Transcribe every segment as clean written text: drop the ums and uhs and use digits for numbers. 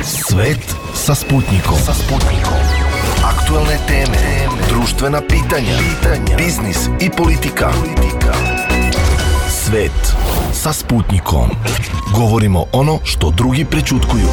Svet sa Sputnikom. Aktuelne teme, društvena pitanja, biznis i politika. Svet sa Sputnikom. Govorimo ono što drugi prećutkuju.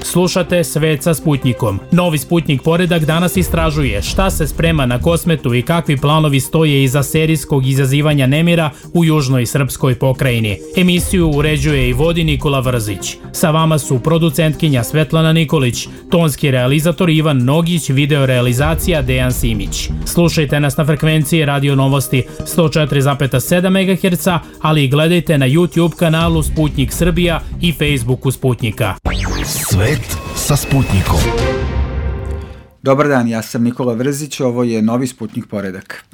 Slušate Svet sa Sputnikom. Novi Sputnik poredak danas istražuje šta se sprema na Kosmetu i kakvi planovi stoje iza serijskog izazivanja nemira u južnoj srpskoj pokrajini. Emisiju uređuje i vodi Nikola Vrzić. Sa vama su producentkinja Svetlana Nikolić, tonski realizator Ivan Nogić, videorealizacija Dejan Simić. Slušajte nas na frekvenciji Radio Novosti 104,7 MHz, ali i gledajte na YouTube kanalu Sputnik Srbija i Facebooku Sputnika. Svet sa Sputnikom. Dobar dan, ja sam Nikola Vrzić, ovo je novi Sputnik poredak.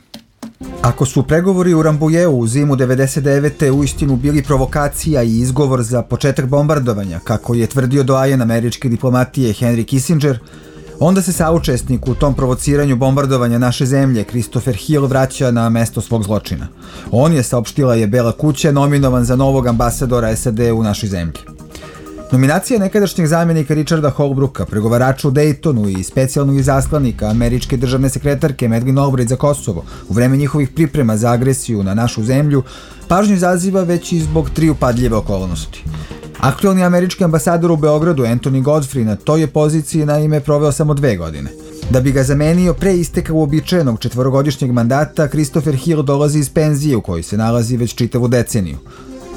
Ako su pregovori u Rambujeu u zimu 99. uistinu bili provokacija i izgovor za početak bombardovanja, kako je tvrdio doajen američke diplomatije Henry Kissinger, onda se saučesnik u tom provociranju bombardovanja naše zemlje, Christopher Hill, vraća na mesto svog zločina. On je, saopštila je Bela kuća, nominovan za novog ambasadora SAD u našoj zemlji. Nominacija nekadašnjeg zamjenika Richarda Holbrooka, pregovarača u Daytonu i specijalnog izaslanika američke državne sekretarke Madeleine Albright za Kosovo u vreme njihovih priprema za agresiju na našu zemlju, pažnju izaziva već i zbog tri upadljive okolnosti. Aktuelni američki ambasador u Beogradu, Anthony Godfrey, na toj je poziciji naime proveo samo 2 godine. Da bi ga zamenio pre isteka uobičajenog 4-godišnjeg mandata, Christopher Hill dolazi iz penzije u kojoj se nalazi već čitavu deceniju.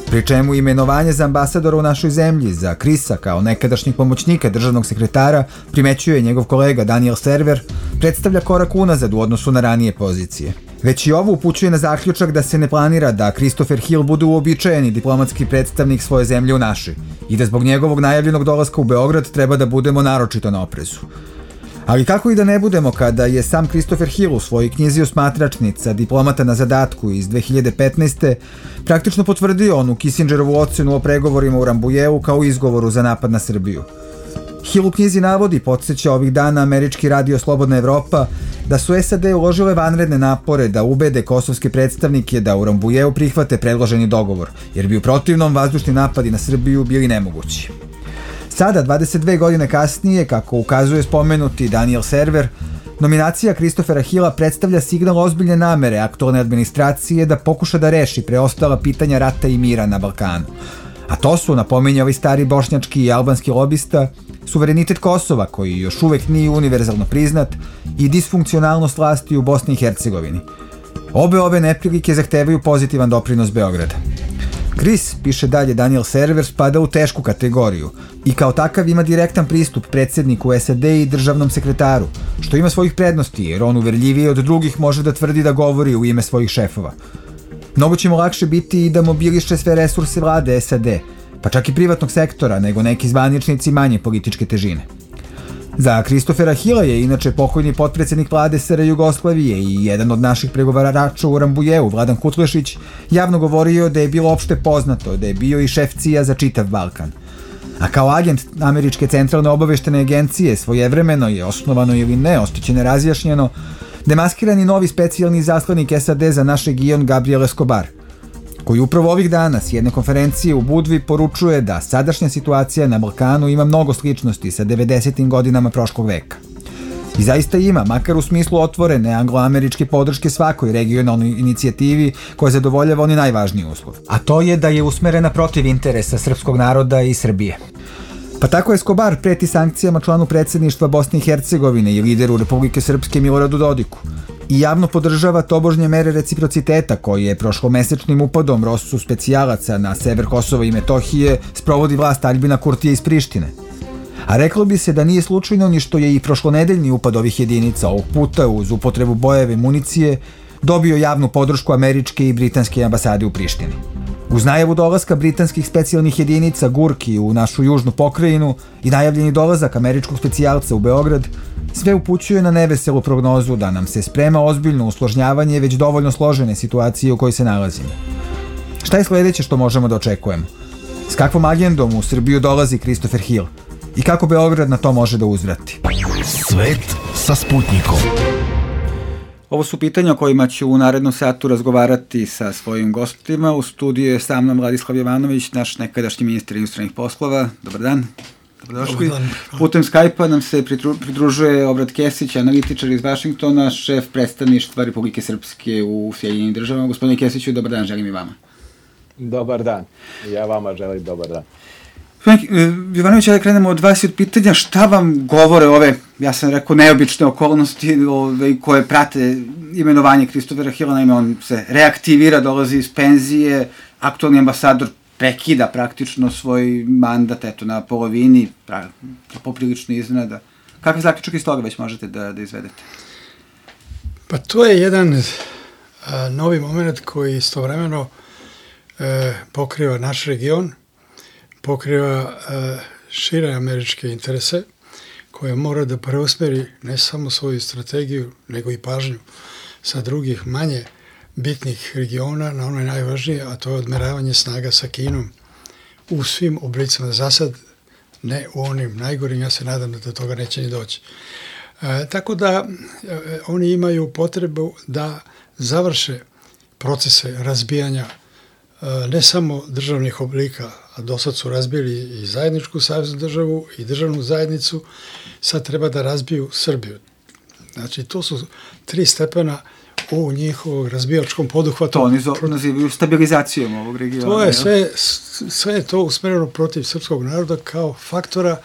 Pri čemu imenovanje za ambasadora u našoj zemlji, za Krisa kao nekadašnjeg pomoćnika državnog sekretara, primećuje njegov kolega Daniel Server, predstavlja korak unazad u odnosu na ranije pozicije. Već i ovo upućuje na zaključak da se ne planira da Christopher Hill bude uobičajeni diplomatski predstavnik svoje zemlje u našoj i da zbog njegovog najavljenog dolaska u Beograd treba da budemo naročito na oprezu. Ali kako i da ne budemo kada je sam Christopher Hill u svojoj knjizi Osmatračnica, diplomata na zadatku iz 2015. praktično potvrdio onu Kissingerovu ocenu o pregovorima u Rambujeu kao izgovoru za napad na Srbiju. Hill u knjizi navodi, podsjeća ovih dana američki radio Slobodna Evropa, da su SAD uložile vanredne napore da ubede kosovske predstavnike da u Rambujeu prihvate predloženi dogovor, jer bi u protivnom vazdušni napadi na Srbiju bili nemogući. Sada, 22 godine kasnije, kako ukazuje spomenuti Daniel Server, nominacija Christophera Hilla predstavlja signal ozbiljne namere aktualne administracije da pokuša da reši preostala pitanja rata i mira na Balkanu. A to su, napominje ovaj stari bošnjački i albanski lobista, suverenitet Kosova, koji još uvek nije univerzalno priznat, i disfunkcionalnost vlasti u Bosni i Hercegovini. Obe ove neprilike zahtevaju pozitivan doprinos Beograda. Chris, piše dalje Daniel Server, spada u tešku kategoriju i kao takav ima direktan pristup predsjedniku SAD i državnom sekretaru, što ima svojih prednosti jer on uverljivije od drugih može da tvrdi da govori u ime svojih šefova. Mnogo će mu lakše biti i da mobiliše sve resurse vlade SAD, pa čak i privatnog sektora, nego neki zvaničnici manje političke težine. Za Christophera Hilla je inače pokojni potpredsjednik vlade SR Jugoslavije i jedan od naših pregovarača u Rambujeu, Vladan Kutlešić, javno govorio da je bilo opšte poznato da je bio i šef CIA za čitav Balkan. A kao agent Američke centralne obaveštene agencije svojevremeno je, osnovano ili ne, ostaće nerazjašnjeno, demaskirani novi specijalni izaslanik SAD za naš region Gabriel Escobar, koji upravo ovih dana s jedne konferencije u Budvi poručuje da sadašnja situacija na Balkanu ima mnogo sličnosti sa 90. godinama prošlog veka. I zaista ima, makar u smislu otvorene anglo-američke podrške svakoj regionalnoj inicijativi koja zadovoljava oni najvažniji uslov. A to je da je usmerena protiv interesa srpskog naroda i Srbije. Pa tako Escobar preti sankcijama članu predsjedništva Bosne i Hercegovine i lideru Republike Srpske Miloradu Dodiku i javno podržava tobožnje mere reciprociteta koje je prošlomesečnim upadom Rosu specijalaca na sever Kosova i Metohije sprovodi vlast Aljbina Kurtija iz Prištine. A reklo bi se da nije slučajno ni što je i prošlonedeljni upad ovih jedinica, ovog puta uz upotrebu bojeve municije, dobio javnu podršku američke i britanske ambasade u Prištini. Uz najavu dolaska britanskih specijalnih jedinica Gurki u našu južnu pokrajinu i najavljeni dolazak američkog specijalca u Beograd, sve upućuje na neveselu prognozu da nam se sprema ozbiljno usložnjavanje već dovoljno složene situacije u kojoj se nalazimo. Šta je sledeće što možemo da očekujemo? S kakvom agendom u Srbiju dolazi Christopher Hill? I kako Beograd na to može da uzvrati? Svet sa Sputnikom. Ovo su pitanja o kojima ću u narednom satu razgovarati sa svojim gostima. U studiju je sa mnom Vladislav Jovanović, naš nekadašnji ministar inostranih poslova. Dobar dan. Dobrodošli. Putem Skype-a nam se pridružuje Obrad Kesić, analitičar iz Vašingtona, šef predstavništva Republike Srpske u Sjedinjenim državama. Gospodine Kesiću, dobar dan, želim i vama. Dobar dan. Ja vama želim dobar dan. Jovanović, da krenemo od vas i od pitanja šta vam govore ove, ja sam rekao, neobične okolnosti koje prate imenovanje Christophera Hilla. Naime, on se reaktivira, dolazi iz penzije, aktualni ambasador prekida praktično svoj mandat, eto, na polovini, poprilično iznenada. Kakve zaključak iz toga već možete da izvedete? Pa to je jedan novi moment koji istovremeno pokriva naš region, pokriva šire američke interese, koje mora da preusmeri ne samo svoju strategiju, nego i pažnju sa drugih manje bitnih regiona na ono najvažnije, a to je odmeravanje snaga sa Kinom u svim oblicima. Za sad ne u onim najgorim, ja se nadam da do toga neće ni doći. Tako da oni imaju potrebu da završe procese razbijanja ne samo državnih oblika, a dosad su razbili i zajedničku saveznu državu i državnu zajednicu, sad treba da razbiju Srbiju. Znači, to su 3 stepena u njihovom razbijačkom poduhvatu. To oni nazivaju stabilizacijom ovog regiona. To je sve je to usmereno protiv srpskog naroda kao faktora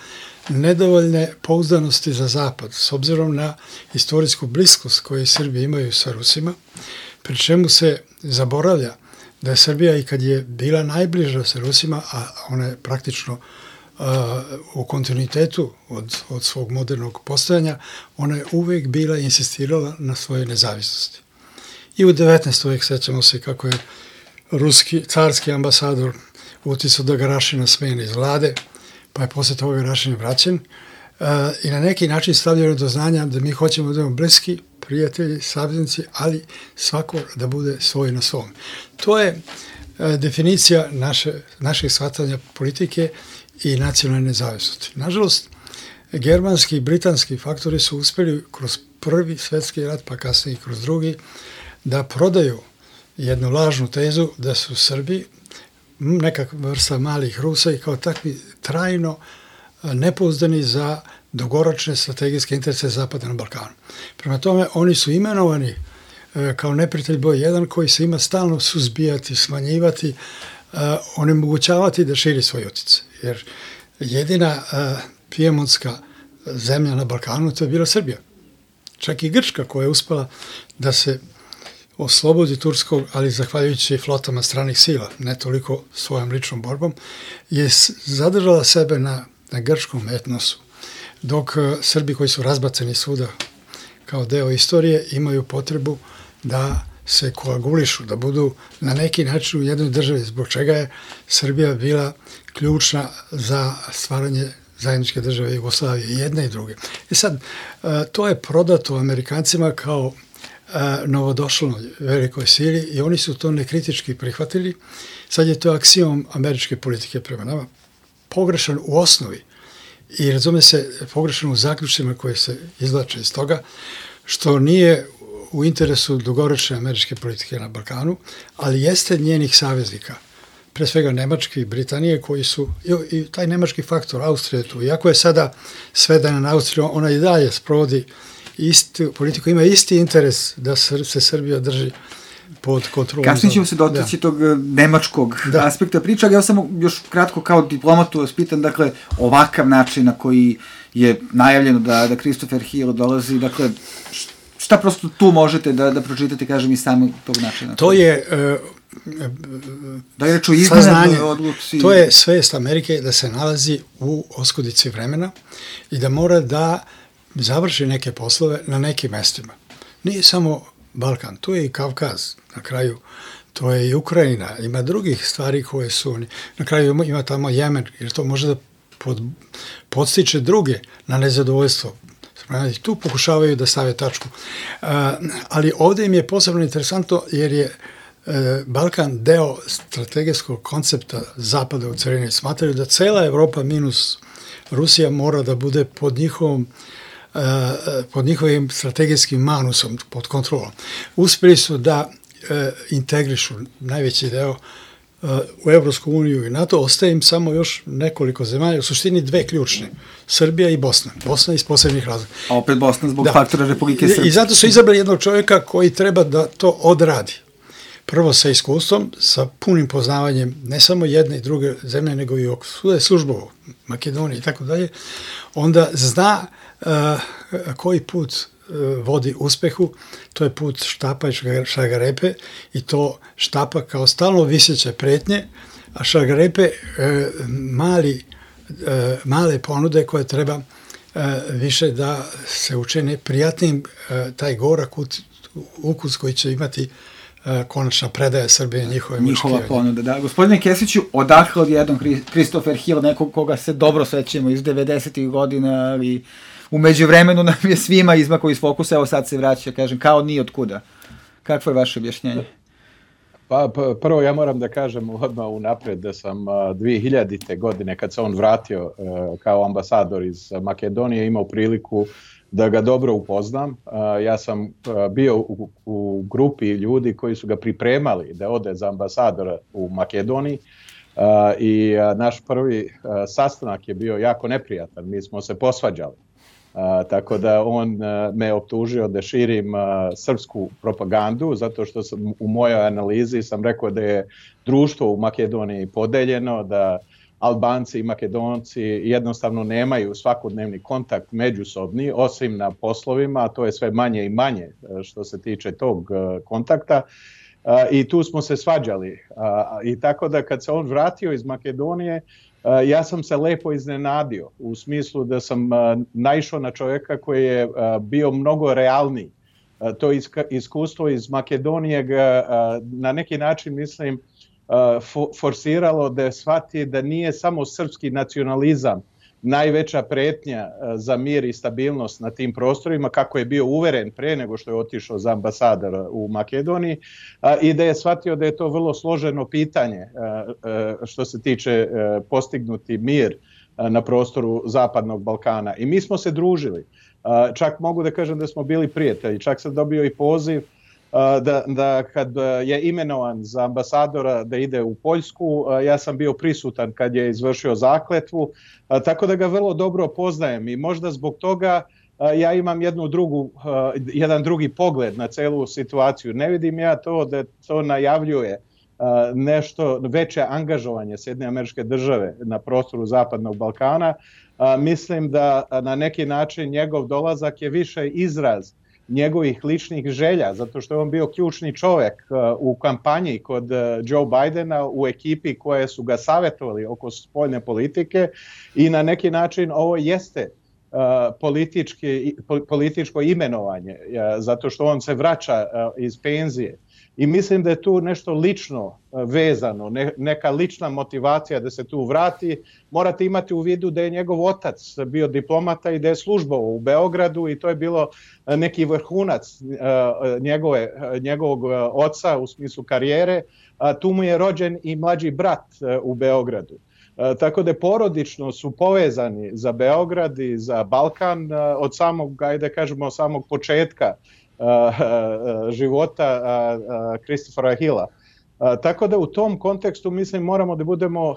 nedovoljne pouzdanosti za Zapad, s obzirom na istorijsku bliskost koju Srbi imaju sa Rusima, pri čemu se zaboravlja da je Srbija i kad je bila najbliža sa Rusima, a ona je praktično u kontinuitetu od svog modernog postojanja, ona je uvek bila i insistirala na svojoj nezavisnosti. I u 19. vek sećamo se kako je ruski carski ambasador uticao da ga Rašina smene iz vlade, pa je posle toga Rašin vraćen i na neki način stavljeno do znanja da mi hoćemo da imamo bliski prijatelji, saveznici, ali svako da bude svoj na svom. To je definicija našeg shvatanja politike i nacionalne nezavisnosti. Nažalost, germanski i britanski faktori su uspeli kroz prvi svetski rat, pa kasnije i kroz drugi, da prodaju jednu lažnu tezu da su Srbi nekakva vrsta malih Rusa i kao takvi trajno nepouzdani za dugoročne strategijske interese Zapada na Balkanu. Prema tome, oni su imenovani kao neprijatelj broj 1 koji se ima stalno suzbijati, smanjivati, onemogućavati da širi svoj utjecaj. Jer jedina pijemontska zemlja na Balkanu to je bila Srbija. Čak i Grčka koja je uspela da se oslobodi turskog, ali zahvaljujući flotama stranih sila, ne toliko svojom ličnom borbom, je zadržala sebe na grčkom etnosu. Dok Srbi koji su razbaceni svuda kao deo istorije imaju potrebu da se koagulišu, da budu na neki način u jednoj državi, zbog čega je Srbija bila ključna za stvaranje zajedničke države Jugoslavije, i jedne i druge. I sad, to je prodato Amerikancima kao novodošloj velikoj sili i oni su to nekritički prihvatili. Sad je to aksijom američke politike prema nama. Pogrešan u osnovi i razume se pogrešan u zaključcima koje se izvlače iz toga, što nije u interesu dugoročne američke politike na Balkanu, ali jeste njenih saveznika, pre svega Nemačke i Britanije, koji su, i taj nemački faktor, Austrija tu, iako je sada svedena na Austriju, ona i dalje sprovodi istu politiku, ima isti interes da se Srbija drži pod kontrolom. Kasnije ćemo se dotaći tog nemačkog aspekta priča, ali ja samo još kratko kao diplomatu vas pitam, dakle, ovakav način na koji je najavljeno da Christopher Hill dolazi, dakle, šta prosto tu možete da pročitate, kažem, iz samog tog načina? To je da je reč o iznenadnoj odluci. To je svest Amerike da se nalazi u oskudici vremena i da mora da završi neke poslove na nekim mestima. Nije samo Balkan, tu je i Kavkaz, na kraju to je i Ukrajina, ima drugih stvari koje su, na kraju ima tamo Jemen, jer to može da podstiče druge na nezadovoljstvo. Tu pokušavaju da stave tačku. Ali ovdje im je posebno interesantno jer je Balkan deo strategijskog koncepta Zapada u celini. Smatraju da cela Evropa minus Rusija mora da bude pod njihovim strategijskim manusom, pod kontrolom. Uspeli su da integrišu najveći deo u Evropsku uniju i NATO, ostaje im samo još nekoliko zemalja, u suštini dve ključne, Srbija i Bosna. Bosna iz posebnih razloga. A opet Bosna zbog faktora Republike Srpske. I zato su izabrali jednog čovjeka koji treba da to odradi. Prvo sa iskustvom, sa punim poznavanjem ne samo jedne i druge zemlje, nego i svuda je službovo, Makedonije i tako dalje, onda zna koji put vodi uspehu, to je put štapa i šargarepe i to štapa kao stalno viseće pretnje, a šargarepe male ponude koje treba više da se učine prijatnim, taj gorak ukus koji će imati konačna predaja Srbije njihova ponuda, da. Gospodine Kesiću, odakle odjednom Christopher Hill, nekog koga se dobro sećamo iz 90-ih godina, ali u međuvremenu nam je svima izmakao iz fokusa, evo sad se vraća, kažem, kao ni od kuda. Kakvo je vaše objašnjenje? Pa prvo ja moram da kažem odmah unapred da sam 2000. godine kad se on vratio kao ambasador iz Makedonije imao priliku da ga dobro upoznam. Ja sam bio u grupi ljudi koji su ga pripremali da ode za ambasadora u Makedoniji i naš prvi sastanak je bio jako neprijatan. Mi smo se posvađali. Tako da on me optužio da širim srpsku propagandu, zato što sam u mojoj analizi sam rekao da je društvo u Makedoniji podeljeno, da Albanci i Makedonci jednostavno nemaju svakodnevni kontakt međusobni, osim na poslovima, a to je sve manje i manje što se tiče tog kontakta. I tu smo se svađali. I tako da kad se on vratio iz Makedonije, ja sam se lepo iznenadio u smislu da sam naišao na čovjeka koji je bio mnogo realniji. To iskustvo iz Makedonije ga na neki način, mislim, forsiralo da shvati da nije samo srpski nacionalizam najveća pretnja za mir i stabilnost na tim prostorima, kako je bio uveren pre nego što je otišao za ambasadora u Makedoniji, i da je shvatio da je to vrlo složeno pitanje što se tiče postignuti mir na prostoru Zapadnog Balkana. I mi smo se družili. Čak mogu da kažem da smo bili prijatelji. Čak sam dobio i poziv da kad je imenovan za ambasadora da ide u Poljsku, ja sam bio prisutan kad je izvršio zakletvu, tako da ga vrlo dobro poznajem i možda zbog toga ja imam jedan drugi pogled na celu situaciju. Ne vidim ja to da to najavljuje nešto veće angažovanje Sjedinjenih Američke Države na prostoru Zapadnog Balkana. Mislim da na neki način njegov dolazak je više izraz njegovih ličnih želja, zato što je on bio ključni čovjek u kampanji kod Joe Bidena, u ekipi koje su ga savjetovali oko spoljne politike, i na neki način ovo jeste političko imenovanje, zato što on se vraća iz penzije. I mislim da je tu nešto lično vezano, neka lična motivacija da se tu vrati. Morate imati u vidu da je njegov otac bio diplomata i da je službovao u Beogradu i to je bilo neki vrhunac njegovog oca u smislu karijere. Tu mu je rođen i mlađi brat u Beogradu. Tako da porodično su povezani za Beograd i za Balkan od samog, ajde kažemo, samog početka života Christophera Hilla. Tako da u tom kontekstu mislim moramo da budemo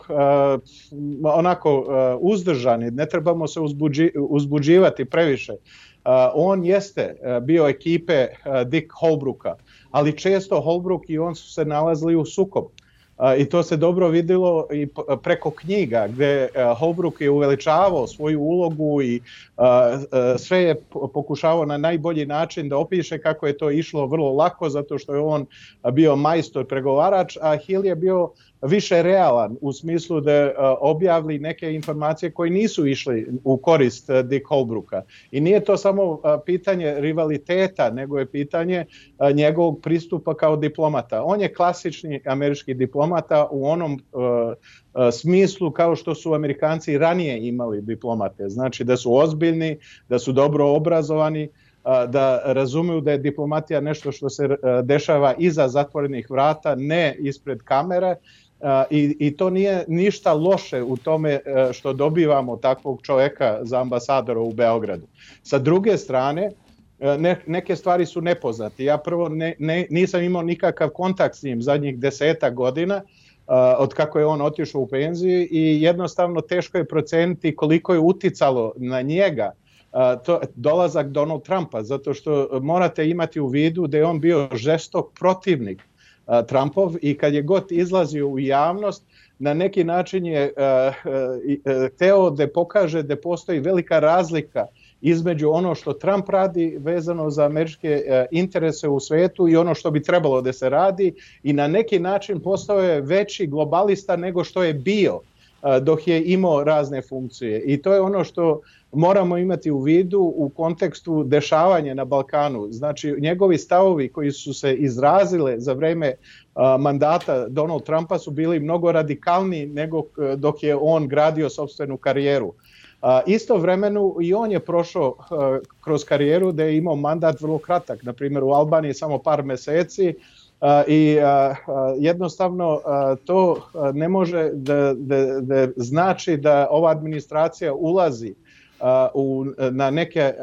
onako uzdržani, ne trebamo se uzbuđivati previše. On jeste bio ekipe Dick Holbrooka, ali često Holbrook i on su se nalazili u sukobu. I to se dobro vidjelo i preko knjiga gdje Holbrook je uveličavao svoju ulogu i sve je pokušavao na najbolji način da opiše kako je to išlo vrlo lako, zato što je on bio majstor pregovarač, a Hill je bio više realan u smislu da objavili neke informacije koje nisu išli u korist Dick Holbrooka. I nije to samo pitanje rivaliteta, nego je pitanje njegovog pristupa kao diplomata. On je klasični američki diplomata u onom smislu kao što su Amerikanci ranije imali diplomate. Znači da su ozbiljni, da su dobro obrazovani, da razumiju da je diplomatija nešto što se dešava iza zatvorenih vrata, ne ispred kamere. I to nije ništa loše u tome što dobivamo takvog čovjeka za ambasadora u Beogradu. Sa druge strane, neke stvari su nepoznate. Ja prvo nisam imao nikakav kontakt s njim zadnjih 10 godina, od kako je on otišao u penziju i jednostavno teško je proceniti koliko je uticalo na njega dolazak Donald Trumpa, zato što morate imati u vidu da je on bio žestok protivnik Trumpov i kad je god izlazio u javnost, na neki način je hteo da pokaže da postoji velika razlika između ono što Trump radi vezano za američke interese u svetu i ono što bi trebalo da se radi i na neki način postao je veći globalista nego što je bio dok je imao razne funkcije. I to je ono što moramo imati u vidu u kontekstu dešavanja na Balkanu. Znači, njegovi stavovi koji su se izrazile za vreme mandata Donald Trumpa su bili mnogo radikalniji nego dok je on gradio sopstvenu karijeru. Istovremeno i on je prošao kroz karijeru da je imao mandat vrlo kratak, na primjer u Albaniji samo par meseci i jednostavno to ne može da znači da ova administracija ulazi na neke,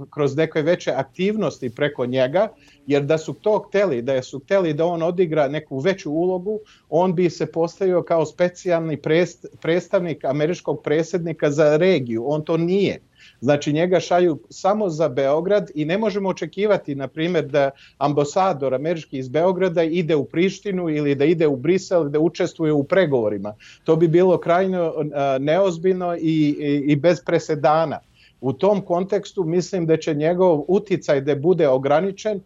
kroz neke veće aktivnosti preko njega, jer da su to hteli, da su hteli da on odigra neku veću ulogu, on bi se postavio kao specijalni predstavnik američkog predsjednika za regiju. On to nije. Znači njega šalju samo za Beograd i ne možemo očekivati, na primjer, da ambasador američki iz Beograda ide u Prištinu ili da ide u Brisel, da učestvuje u pregovorima. To bi bilo krajno neozbiljno i bez presedana. U tom kontekstu mislim da će njegov uticaj da bude ograničen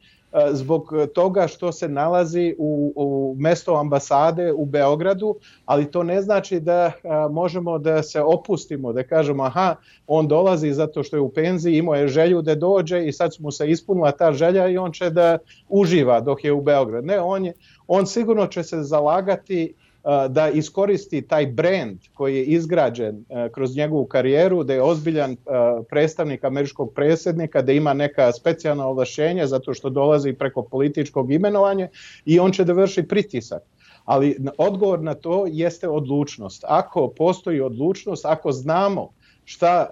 zbog toga što se nalazi u mesto ambasade u Beogradu, ali to ne znači da možemo da se opustimo, da kažemo aha, on dolazi zato što je u penziji, imao je želju da dođe i sad mu se ispunila ta želja i on će da uživa dok je u Beogradu. Ne, on sigurno će se zalagati da iskoristi taj brand koji je izgrađen kroz njegovu karijeru, da je ozbiljan predstavnik američkog predsjednika, da ima neka specijalna ovlašćenja zato što dolazi preko političkog imenovanja i on će da vrši pritisak. Ali odgovor na to jeste odlučnost. Ako postoji odlučnost, ako znamo šta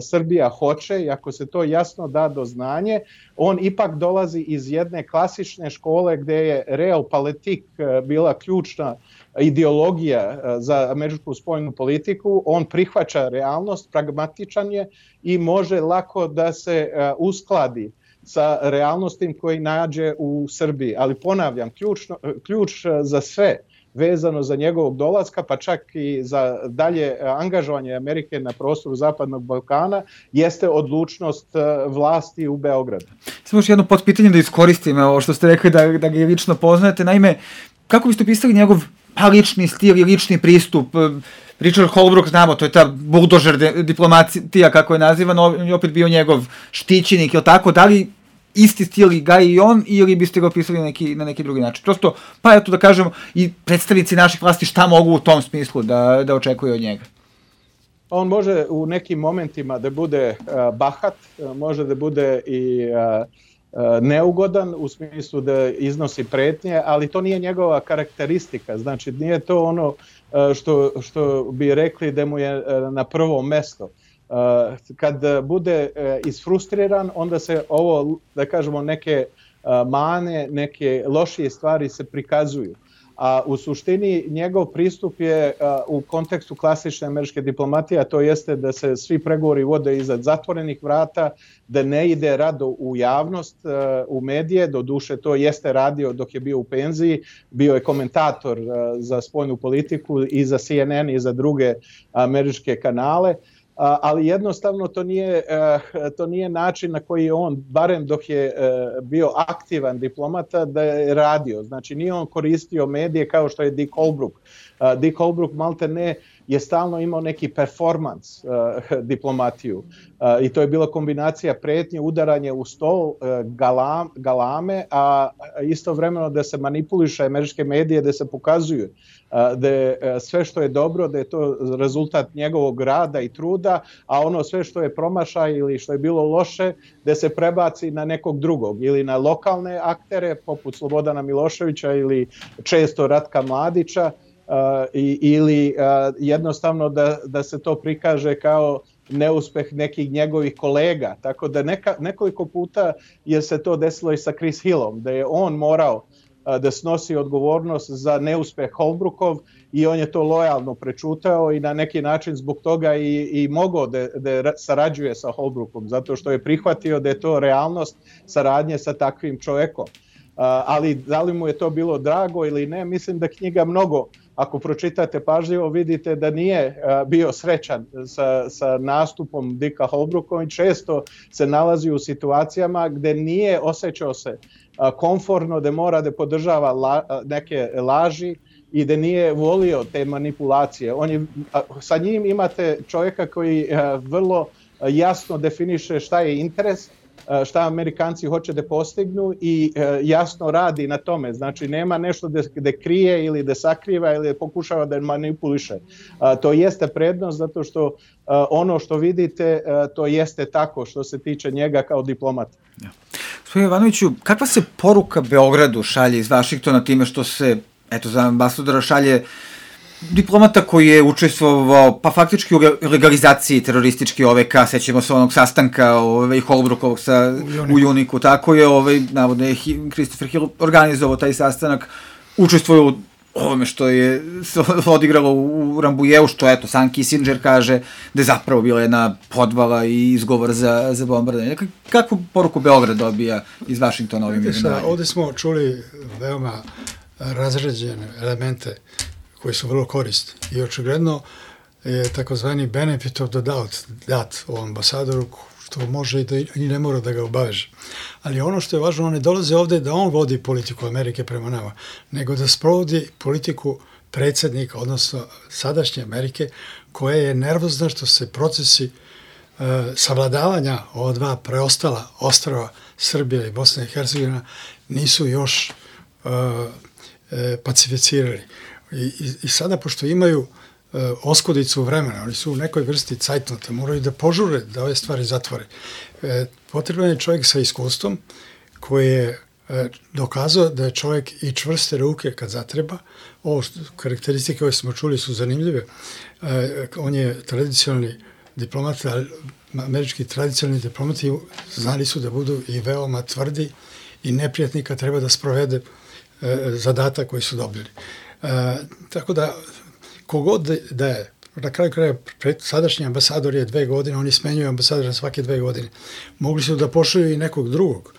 Srbija hoće i ako se to jasno da do znanje, on ipak dolazi iz jedne klasične škole gdje je realpolitik bila ključna ideologija za američku spoljnu politiku. On prihvaća realnost, pragmatičan je i može lako da se uskladi sa realnostim koji nađe u Srbiji. Ali ponavljam, ključ za sve vezano za njegovog dolaska, pa čak i za dalje angažovanje Amerike na prostoru Zapadnog Balkana, jeste odlučnost vlasti u Beogradu. Samo još jedno potpitanje da iskoristim, ovo što ste rekli da ga i lično poznajete. Naime, kako biste opisali njegov lični stil i lični pristup? Richard Holbrooke, znamo, to je ta buldožer diplomatija, kako je nazivan, on je opet bio njegov štićenik, ili tako, da li isti stil gaji i on, ili biste ga opisali na neki drugi način? Prosto, pa eto da kažemo, i predstavnici naših vlasti šta mogu u tom smislu da očekuju od njega? On može u nekim momentima da bude bahat, može da bude i neugodan u smislu da iznosi pretnje, ali to nije njegova karakteristika, znači nije to ono što bi rekli da mu je na prvo mesto. Kad bude isfrustriran, onda se ovo, da kažemo, neke mane, neke lošije stvari se prikazuju. A u suštini njegov pristup je u kontekstu klasične američke diplomatije, a to jeste da se svi pregovori vode iza zatvorenih vrata, da ne ide rado u javnost, u medije, doduše to jeste radio dok je bio u penziji, bio je komentator za spoljnu politiku i za CNN i za druge američke kanale, ali jednostavno to nije način na koji je on, barem dok je bio aktivan diplomata, da je radio. Znači nije on koristio medije kao što je Dick Holbrooke. Dick Holbrooke malte ne je stalno imao neki performans diplomatiju i to je bila kombinacija pretnje, udaranje u stol, galame, a istovremeno da se manipuliše američke medije, da se pokazuju da je sve što je dobro, da je to rezultat njegovog rada i truda, a ono sve što je promašaj ili što je bilo loše, da se prebaci na nekog drugog ili na lokalne aktere poput Slobodana Miloševića ili često Ratka Mladića, ili jednostavno da se to prikaže kao neuspeh nekih njegovih kolega. Tako da nekoliko puta je se to desilo i sa Chris Hillom, da je on morao da snosi odgovornost za neuspeh Holbrookov i on je to lojalno prečutao i na neki način zbog toga i mogao da sarađuje sa Holbrookom, zato što je prihvatio da je to realnost saradnje sa takvim čovjekom. Ali da li mu je to bilo drago ili ne, mislim da knjiga mnogo, ako pročitate pažljivo, vidite da nije bio srećan sa nastupom Dicka Holbrooka i često se nalazi u situacijama gde nije osjećao se komfortno, da mora da podržava neke laži i da nije volio te manipulacije. Sa njim imate čovjeka koji vrlo jasno definiše šta je interes, šta Amerikanci hoće da postignu i jasno radi na tome. Znači nema nešto da krije ili da sakriva ili da pokušava da manipuliše. To jeste prednost zato što ono što vidite to jeste tako što se tiče njega kao diplomata. Ja. Gospodin Jovanoviću, kakva se poruka Beogradu šalje iz Vašingtona time što se, eto, za ambasadora šalje diplomata koji je učestvovao, pa faktički u legalizaciji terorističke OVK, sećamo se onog sastanka Holbrookovog u Juniku, tako je, navodno je Christopher Hill organizovao taj sastanak, učestvovao u ovome što je odigralo u Rambouilleu, što, eto, sam Kissinger kaže da je zapravo bila jedna podvala i izgovor za bombardanje. Kakvu poruku Beograd dobija iz Vašingtona ovim imenovanjem? Ovde smo čuli veoma razređene elemente koji su vrlo korisni i očigledno je takozvani benefit of the doubt dat o ambasadoru, što može i ne mora da ga obaveže. Ali ono što je važno, on ne dolaze ovde da on vodi politiku Amerike prema nama, nego da sprovodi politiku predsjednika, odnosno sadašnje Amerike, koja je nervozna što se procesi savladavanja ova dva preostala ostrava Srbija i Bosna i Hercegovina nisu još pacificirali. I sada, pošto imaju oskudicu vremena, oni su u nekoj vrsti cajtnota, moraju da požure da ove stvari zatvore. Potreban je čovjek sa iskustvom koji je dokazao da je čovjek i čvrste ruke kad zatreba. Ovo karakteristike koje smo čuli su zanimljive. On je tradicionalni diplomat, ali američki tradicionalni diplomati znali su da budu i veoma tvrdi i neprijatni kad treba da sprovede zadatak koji su dobili. Tako da, kogod da je, na kraju kraja, sadašnji ambasador je 2 godine, oni smenjuju ambasadora svake 2 godine. Mogli su da pošalju i nekog drugog,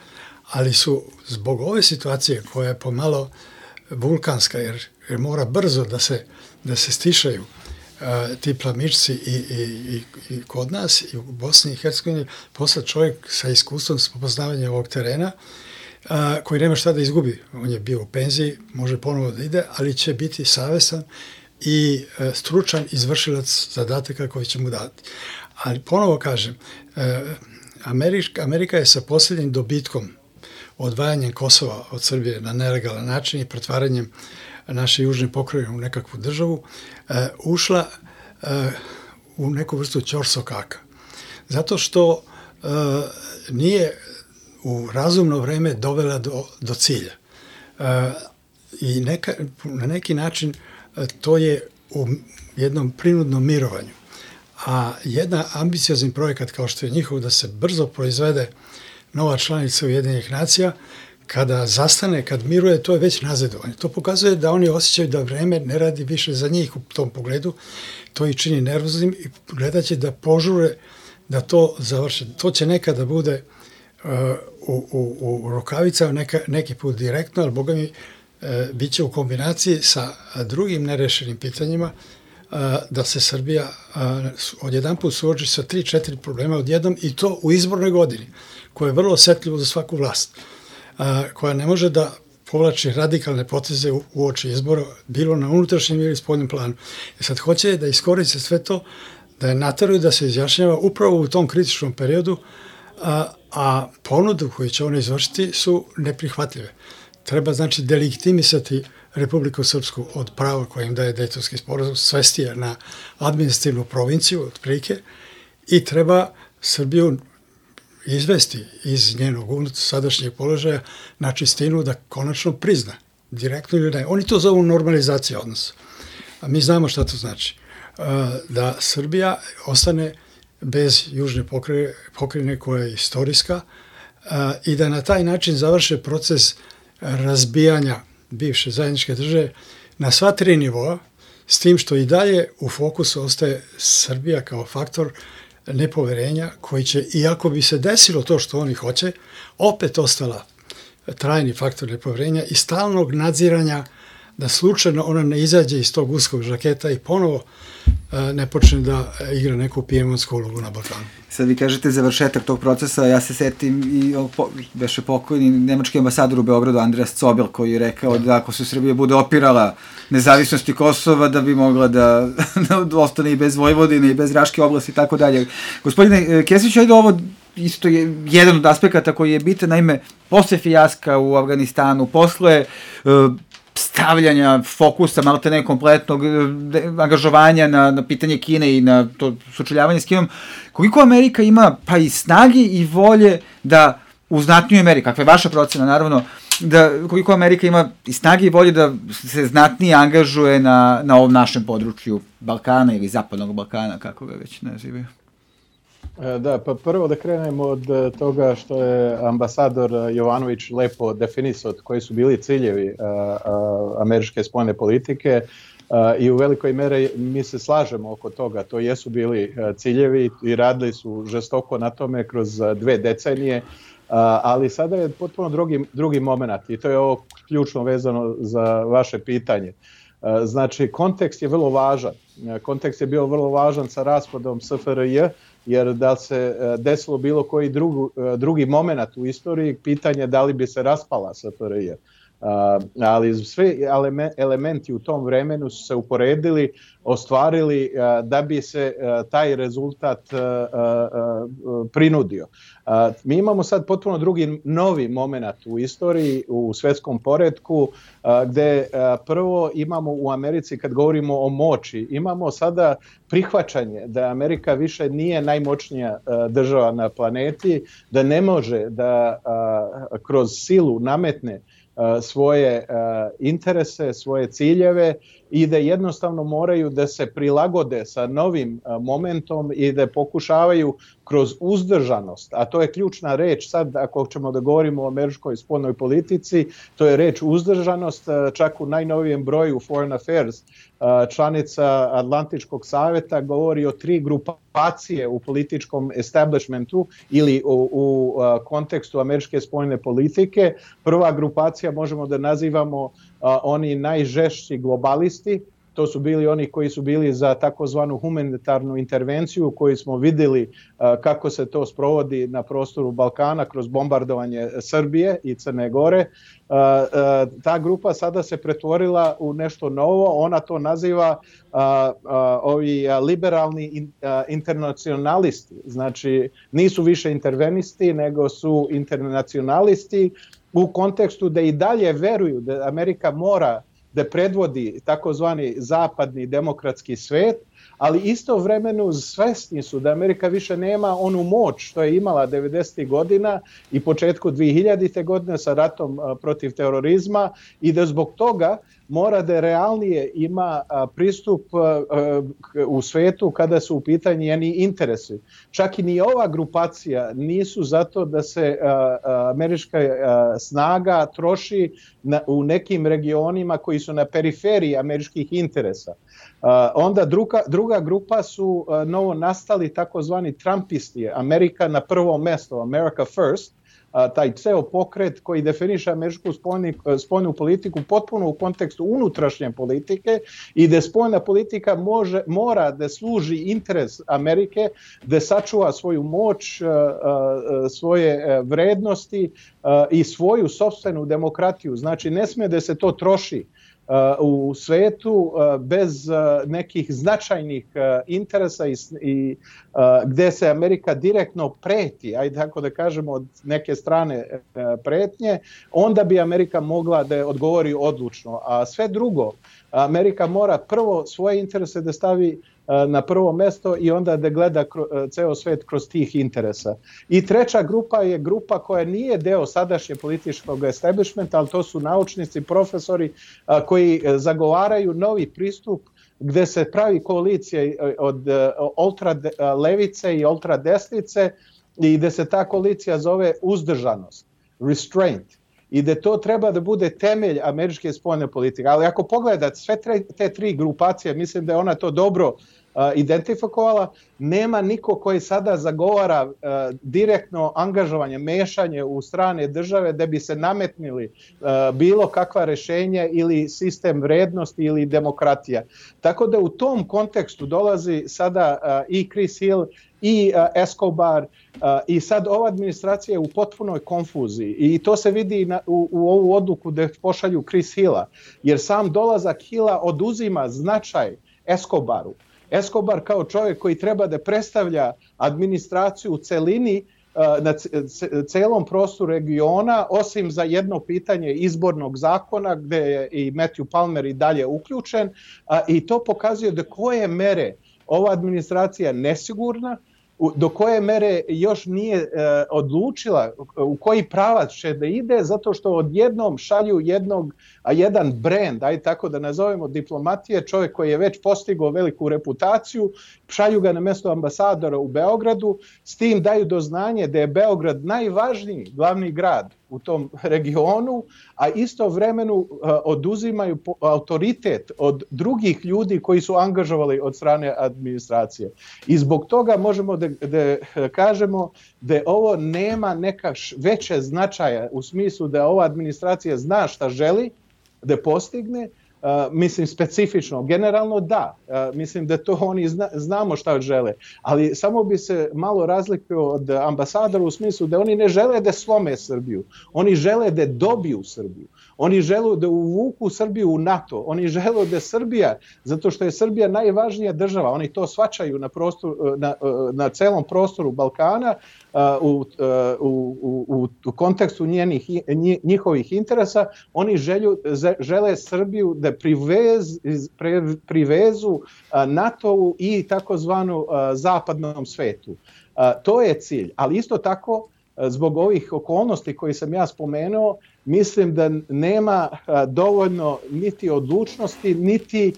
ali su zbog ove situacije koja je pomalo vulkanska, jer mora brzo da se stišaju ti plamičci i kod nas i u Bosni i Hercegovini, posle čovjek sa iskustvom s poznavanjem ovog terena, koji nema šta da izgubi. On je bio u penziji, može ponovo da ide, ali će biti savestan i stručan izvršilac zadataka koji će mu dati. Ali ponovo kažem, Amerika je sa posljednjim dobitkom, odvajanjem Kosova od Srbije na nelegalan način i pretvaranjem naše južne pokrajine u nekakvu državu, ušla u neku vrstu ćorsokaka. Zato što nije u razumno vreme dovela do cilja. I na neki način to je u jednom prinudnom mirovanju. A jedan ambiciozan projekat kao što je njihov da se brzo proizvede nova članica Ujedinjenih nacija, kada zastane, kad miruje, to je već nazadovanje. To pokazuje da oni osjećaju da vreme ne radi više za njih u tom pogledu. To ih čini nervoznim i gledat će da požure da to završe. To će nekada bude u rukavicama, neki put direktno, ali boga mi bit će u kombinaciji sa drugim nerešenim pitanjima da se Srbija odjedanput suoči sa 3-4 problema odjednom i to u izbornoj godini, koja je vrlo osjetljivo za svaku vlast, koja ne može da povlači radikalne poteze u oči izbora, bilo na unutrašnjem ili spoljnom planu. I sad hoće da iskoriste sve to, da je nateraju da se izjašnjava upravo u tom kritičnom periodu, a ponudu koju će one izvršiti su neprihvatljive. Treba, znači, delegitimisati Republiku Srpsku od prava koje im daje Dejtonski sporazum, svesti je na administrativnu provinciju, otprilike, i treba Srbiju izvesti iz njenog sadašnjeg položaja na čistinu da konačno prizna, direktno ili ne. Oni to zovu normalizacija odnosa. A mi znamo šta to znači. Da Srbija ostane bez južne pokrajine koja je istorijska i da na taj način završe proces razbijanja bivše zajedničke države na sva 3 nivoa, s tim što i dalje u fokusu ostaje Srbija kao faktor nepoverenja koji će, iako bi se desilo to što oni hoće, opet ostala trajni faktor nepoverenja i stalnog nadziranja da slučajno ona ne izađe iz tog uskog žaketa i ponovo ne počne da igra neku pijemonsku ulogu na Balkanu. Sad vi kažete završetak tog procesa, ja se setim i beše pokojni nemački ambasador u Beogradu Andreas Zobel koji je rekao da ako se Srbija bude opirala nezavisnosti Kosova da bi mogla da ostane i bez Vojvodine i bez Raške oblasti i tako dalje. Gospodine Kesić, ajde ovo isto je jedan od aspekata koji je bitan, naime, posle fijaska u Afganistanu, posle stavljanja fokusa, malo te ne kompletnog angažovanja na pitanje Kine i na to sučeljavanje s Kinom, koliko Amerika ima pa i snage i volje da u znatnijoj meri, kakva je vaša procena naravno, da koliko Amerika ima i snage i volje da se znatnije angažuje na ovom našem području Balkana ili Zapadnog Balkana, kako ga već nazivaju? Da, pa prvo da krenemo od toga što je ambasador Jovanović lepo definisao koji su bili ciljevi američke spoljne politike i u velikoj meri mi se slažemo oko toga. To jesu bili ciljevi i radili su žestoko na tome kroz 2 decenije, ali sada je potpuno drugi moment i to je ovo ključno vezano za vaše pitanje. Znači, kontekst je vrlo važan. Kontekst je bio vrlo važan sa raspadom SFRJ, jer da se desilo bilo koji drugi moment u istoriji, pitanje da li bi se raspala SFRJ. Ali svi elementi u tom vremenu su se uporedili, ostvarili da bi se taj rezultat prinudio. Mi imamo sad potpuno drugi novi moment u istoriji, u svjetskom poretku, gdje prvo imamo u Americi, kad govorimo o moći, imamo sada prihvaćanje da Amerika više nije najmoćnija država na planeti, da ne može da kroz silu nametne svoje interese, svoje ciljeve i da jednostavno moraju da se prilagode sa novim momentom i da pokušavaju kroz uzdržanost, a to je ključna reč sad ako ćemo da govorimo o američkoj spoljnoj politici, to je reč uzdržanost, čak u najnovijem broju Foreign Affairs članica Atlantičkog savjeta govori o 3 grupacije u političkom establishmentu ili u kontekstu američke spoljne politike. Prva grupacija možemo da nazivamo oni najžešći globalisti, to su bili oni koji su bili za takozvanu humanitarnu intervenciju koju smo vidjeli kako se to sprovodi na prostoru Balkana kroz bombardovanje Srbije i Crne Gore. Ta grupa sada se pretvorila u nešto novo, ona to naziva ovi liberalni internacionalisti, znači nisu više intervenisti nego su internacionalisti u kontekstu da i dalje veruju da Amerika mora da predvodi takozvani zapadni demokratski svet, ali istovremeno svesni su da Amerika više nema onu moć što je imala 90. godina i početku 2000. godine sa ratom protiv terorizma i da zbog toga mora da realnije ima pristup u svetu kada su u pitanju njeni interesi. Čak i ni ova grupacija nisu zato da se američka snaga troši u nekim regionima koji su na periferiji američkih interesa. Onda druga grupa su novo nastali takozvani Trumpisti, Amerika na prvo mesto, America First, taj ceo pokret koji definiše američku spoljnu politiku potpuno u kontekstu unutrašnje politike i da spoljna politika mora da služi interes Amerike, da sačuva svoju moć, svoje vrednosti i svoju sopstvenu demokratiju. Znači ne smije da se to troši u svetu bez nekih značajnih interesa i gdje se Amerika direktno preti, ajde tako da kažemo od neke strane pretnje, onda bi Amerika mogla da odgovori odlučno. A sve drugo, Amerika mora prvo svoje interese da stavi na prvo mesto i onda da gleda ceo svet kroz tih interesa. I treća grupa je grupa koja nije deo sadašnje političkog establishmenta, ali to su naučnici, profesori koji zagovaraju novi pristup gde se pravi koalicija od ultra levice i ultra desnice i gde se ta koalicija zove uzdržanost, restraint. i da to treba da bude temelj američke spoljne politike. Ali ako pogledate sve te tri grupacije, mislim da je ona to dobro identifikovala, nema niko koji sada zagovara direktno angažovanje, mešanje u strane države da bi se nametnili bilo kakva rešenja ili sistem vrednosti ili demokratija. Tako da u tom kontekstu dolazi sada i Chris Hill i Escobar i sad ova administracija je u potpunoj konfuziji i to se vidi u ovu odluku da pošalju Chris Hilla, jer sam dolazak Hilla oduzima značaj Escobaru. Escobar kao čovjek koji treba da predstavlja administraciju u celini na celom prostoru regiona, osim za jedno pitanje izbornog zakona gde je i Matthew Palmer i dalje uključen, i to pokazuje do koje mere ova administracija je nesigurna, do koje mere još nije odlučila u koji pravac će da ide, zato što odjednom šalju jedan brend, ajde tako da nazovemo diplomatije, čovjek koji je već postigao veliku reputaciju, šalju ga na mjesto ambasadora u Beogradu, s tim daju do znanja da je Beograd najvažniji glavni grad u tom regionu, a istovremeno oduzimaju autoritet od drugih ljudi koji su angažovali od strane administracije. I zbog toga možemo da kažemo da ovo nema neka veće značaja u smislu da ova administracija zna šta želi da postigne, mislim specifično, generalno da, mislim da to oni znamo šta žele, ali samo bi se malo razlikovao od ambasadora u smislu da oni ne žele da slome Srbiju, oni žele da dobiju Srbiju, oni žele da uvuku Srbiju u NATO, oni žele da Srbija, zato što je Srbija najvažnija država, oni to shvaćaju na celom prostoru Balkana, u kontekstu njihovih interesa, oni žele Srbiju da privezu NATO-u i takozvanu zapadnom svetu. To je cilj, ali isto tako zbog ovih okolnosti koje sam ja spomenuo, mislim da nema dovoljno niti odlučnosti, niti,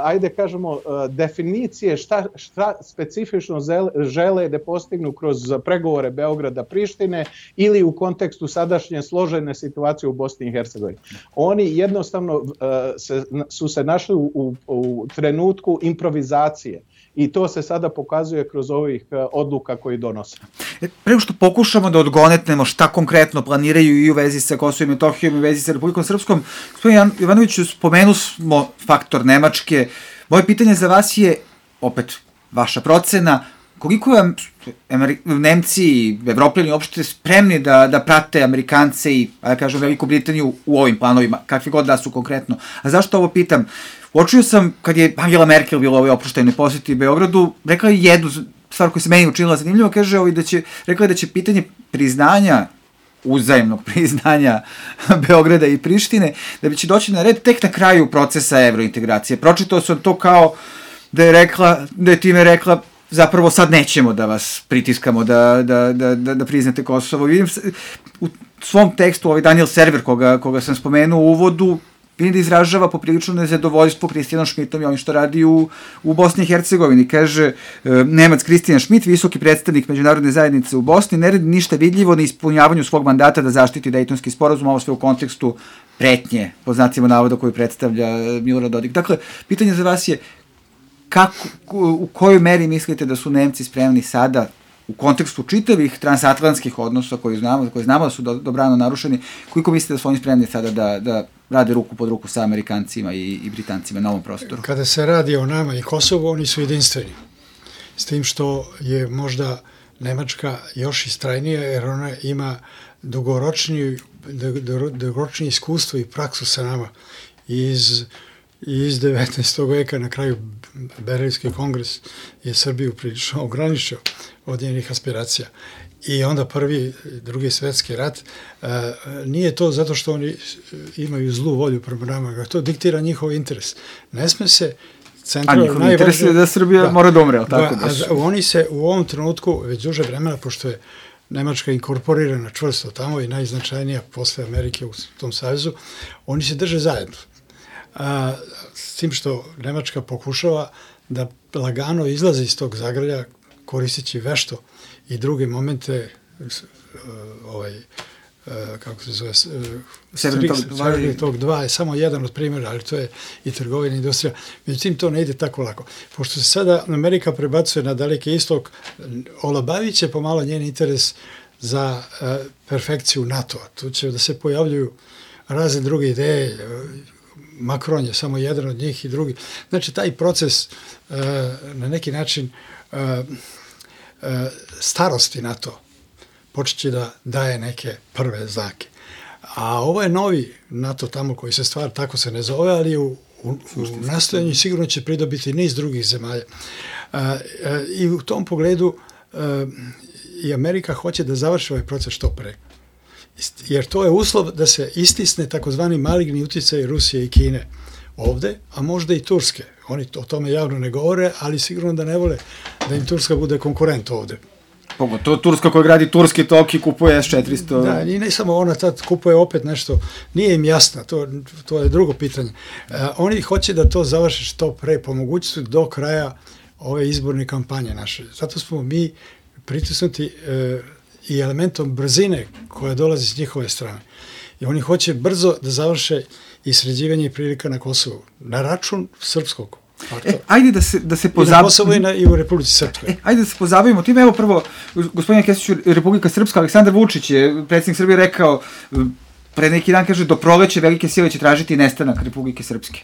ajde kažemo, definicije šta specifično žele da postignu kroz pregovore Beograda-Prištine ili u kontekstu sadašnje složene situacije u Bosni i Hercegovini. Oni jednostavno su se našli u trenutku improvizacije. I to se sada pokazuje kroz ovih odluka koji donose. Prema što pokušamo da odgonetnemo šta konkretno planiraju i u vezi sa Kosovom i Metohijom i u vezi sa Republikom Srpskom, gospodin Jovanoviću, spomenu smo faktor Nemačke. Moje pitanje za vas je, opet, vaša procena, koliko vam Nemci i Evropljani uopšte spremni da prate Amerikance i, da kažem, Veliku Britaniju u ovim planovima, kakvi god da su konkretno. A zašto ovo pitam? Uočio sam, kad je Angela Merkel bila u ovoj oproštajnoj posjeti Beogradu, rekla je jednu stvar koja se meni učinila zanimljivo, kaže rekla je da će pitanje priznanja, uzajemnog priznanja Beograda i Prištine, da će doći na red tek na kraju procesa evrointegracije. Pročitao sam to kao da je time rekla zapravo sad nećemo da vas pritiskamo da priznate Kosovo. Vidim u svom tekstu, Daniel Server, koga sam spomenuo u uvodu, vidim da izražava poprilično nezadovoljstvo Kristijanom Šmitom i onim što radi u Bosni i Hercegovini. Kaže Nemac Kristijan Šmit, visoki predstavnik međunarodne zajednice u Bosni, ne radi ništa vidljivo na ispunjavanju svog mandata da zaštiti Dejtonski sporazum, ovo sve u kontekstu pretnje, po znacima navoda koju predstavlja Milorad Dodik. Dakle, pitanje za vas je u kojoj meri mislite da su Nemci spremni sada u kontekstu čitavih transatlantskih odnosa koji znamo da su dobrano narušeni, koliko mislite da su oni spremni sada da rade ruku pod ruku sa Amerikancima i Britancima na ovom prostoru? Kada se radi o nama i Kosovu, oni su jedinstveni. S tim što je možda Nemačka još istrajnija, jer ona ima dugoročnije iskustvo i praksu sa nama iz 19. veka. Na kraju Berlinski kongres je Srbiju prilično ograničio od njenih aspiracija. I onda prvi, drugi svetski rat, nije to zato što oni imaju zlu volju prema nama, to diktira njihov interes. Ne sme se centralno... A njihov interes je da Srbija mora da umre, tako da su... Oni se u ovom trenutku, već duže vremena, pošto je Nemačka inkorporirana čvrsto tamo i najznačajnija posle Amerike u tom savezu, oni se drže zajedno. S tim što Nemačka pokušava da lagano izlazi iz tog zagrlja, koristeći vešto i druge momente kako se zove, Severni tok 2 je samo jedan od primjera, ali to je i trgovina i industrija. Međutim, to ne ide tako lako. Pošto se sada Amerika prebacuje na Daleki istok, olabavit će pomalo njen interes za perfekciju NATO-a. Tu će da se pojavljuju razne druge ideje, Macron je samo jedan od njih i drugi. Znači, taj proces na neki način starosti NATO počet će da daje neke prve znake. A ovo je novi NATO tamo koji se stvara, tako se ne zove, ali u nastojanju sigurno će pridobiti niz drugih zemalja. I u tom pogledu i Amerika hoće da završi ovaj proces što pre. Jer to je uslov da se istisne takozvani maligni utjecaj Rusije i Kine ovde, a možda i Turske. Oni o tome javno ne govore, ali sigurno da ne vole da im Turska bude konkurent ovde. Pogotovo Turska koja gradi turski tok i kupuje S-400. Da, i ne samo ona tad kupuje opet nešto, nije im jasno, to je drugo pitanje. Oni hoće da to završe što pre, po mogućnosti do kraja ove izborne kampanje naše. Zato smo mi pritisnuti i elementom brzine koja dolazi s njihove strane. I oni hoće brzo da završe i sređivanje prilika na Kosovu, na račun srpskog faktora. Ajde da se pozabavimo. I na Kosovu i u Republici Srpskoj. Ajde da se pozabavimo tim. Evo prvo, gospodine Kesiću, Republika Srpska, Aleksandar Vučić je, predsjednik Srbije, rekao, pre neki dan kaže, do proleće velike sile će tražiti nestanak Republike Srpske.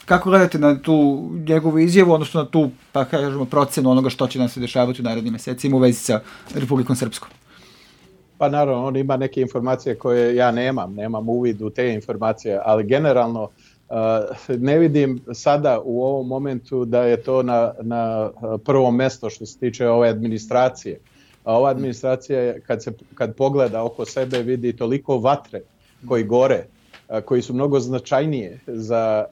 Kako gledate na tu njegovu izjavu, odnosno na tu, pa kažemo, procenu onoga što će nam se dešavati u narednim mesecima u vezi sa Republikom Srpskom? Pa naravno, on ima neke informacije koje ja nemam uvid u te informacije, ali generalno ne vidim sada u ovom momentu da je to na prvom mesto što se tiče ove administracije. A ova administracija, kad pogleda oko sebe, vidi toliko vatre koji gore, koji su mnogo značajnije za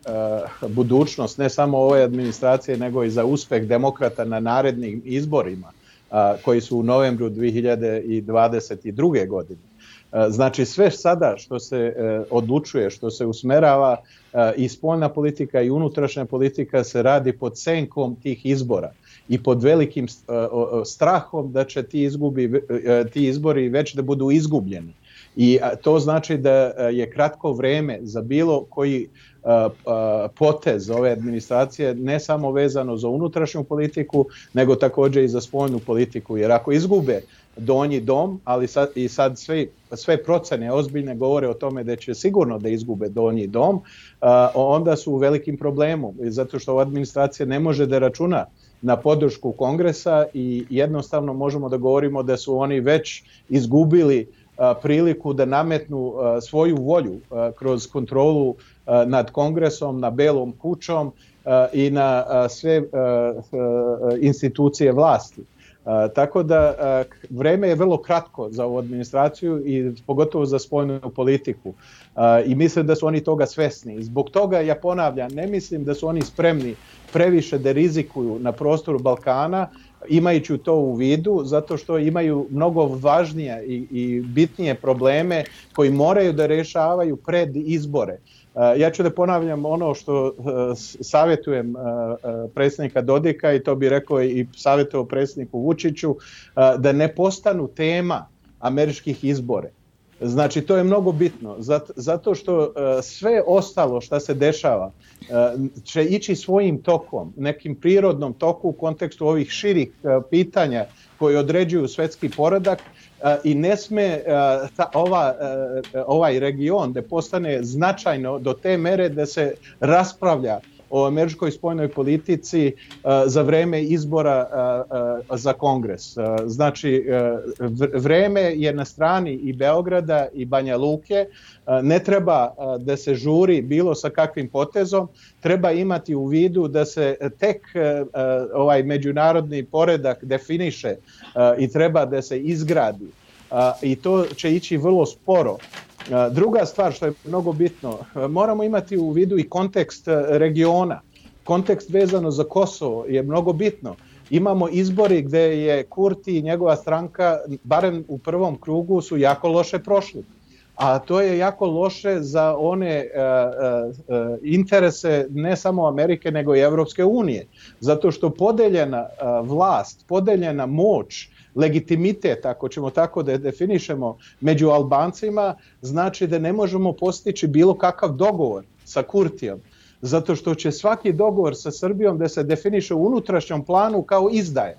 budućnost ne samo ove administracije, nego i za uspeh demokrata na narednim izborima, koji su u novembru 2022. godine. Znači sve sada što se odlučuje, što se usmerava i spoljna politika i unutrašnja politika se radi pod senkom tih izbora i pod velikim strahom da će ti izbori već da budu izgubljeni. I to znači da je kratko vreme za bilo koji potez ove administracije, ne samo vezano za unutrašnju politiku, nego također i za spoljnu politiku. Jer ako izgube donji dom, ali sad sve procene ozbiljne govore o tome da će sigurno da izgube donji dom, onda su u velikim problemu, zato što ova administracija ne može da računa na podršku Kongresa i jednostavno možemo da govorimo da su oni već izgubili priliku da nametnu svoju volju kroz kontrolu nad Kongresom, na Belom kućom i na sve institucije vlasti. Tako da vreme je vrlo kratko za ovu administraciju i pogotovo za spoljnu politiku. I mislim da su oni toga svesni. Zbog toga, ja ponavljam, ne mislim da su oni spremni previše da rizikuju na prostoru Balkana, imajući to u vidu, zato što imaju mnogo važnije i bitnije probleme koji moraju da rešavaju pred izbore. Ja ću da ponavljam ono što savjetujem predsjednika Dodika i to bi rekao i savjetovao predsjedniku Vučiću, da ne postanu tema američkih izbora. Znači, to je mnogo bitno, zato što sve ostalo što se dešava će ići svojim tokom, nekim prirodnom toku u kontekstu ovih širih pitanja koji određuju svetski poredak i ne sme ovaj region da postane značajno do te mere da se raspravlja o američkoj spoljnoj politici za vreme izbora za Kongres. Znači, vreme je na strani i Beograda i Banja Luke. Ne treba da se žuri bilo sa kakvim potezom. Treba imati u vidu da se tek ovaj međunarodni poredak definiše i treba da se izgradi. I to će ići vrlo sporo. Druga stvar što je mnogo bitno, moramo imati u vidu i kontekst regiona. Kontekst vezano za Kosovo je mnogo bitno. Imamo izbori gde je Kurti i njegova stranka, barem u prvom krugu, su jako loše prošli. A to je jako loše za one interese ne samo Amerike nego i Evropske unije. Zato što podeljena vlast, podeljena moć legitimitet, ako ćemo tako da definišemo, među Albancima, znači da ne možemo postići bilo kakav dogovor sa Kurtijom, zato što će svaki dogovor sa Srbijom da se definiše u unutrašnjem planu kao izdaje.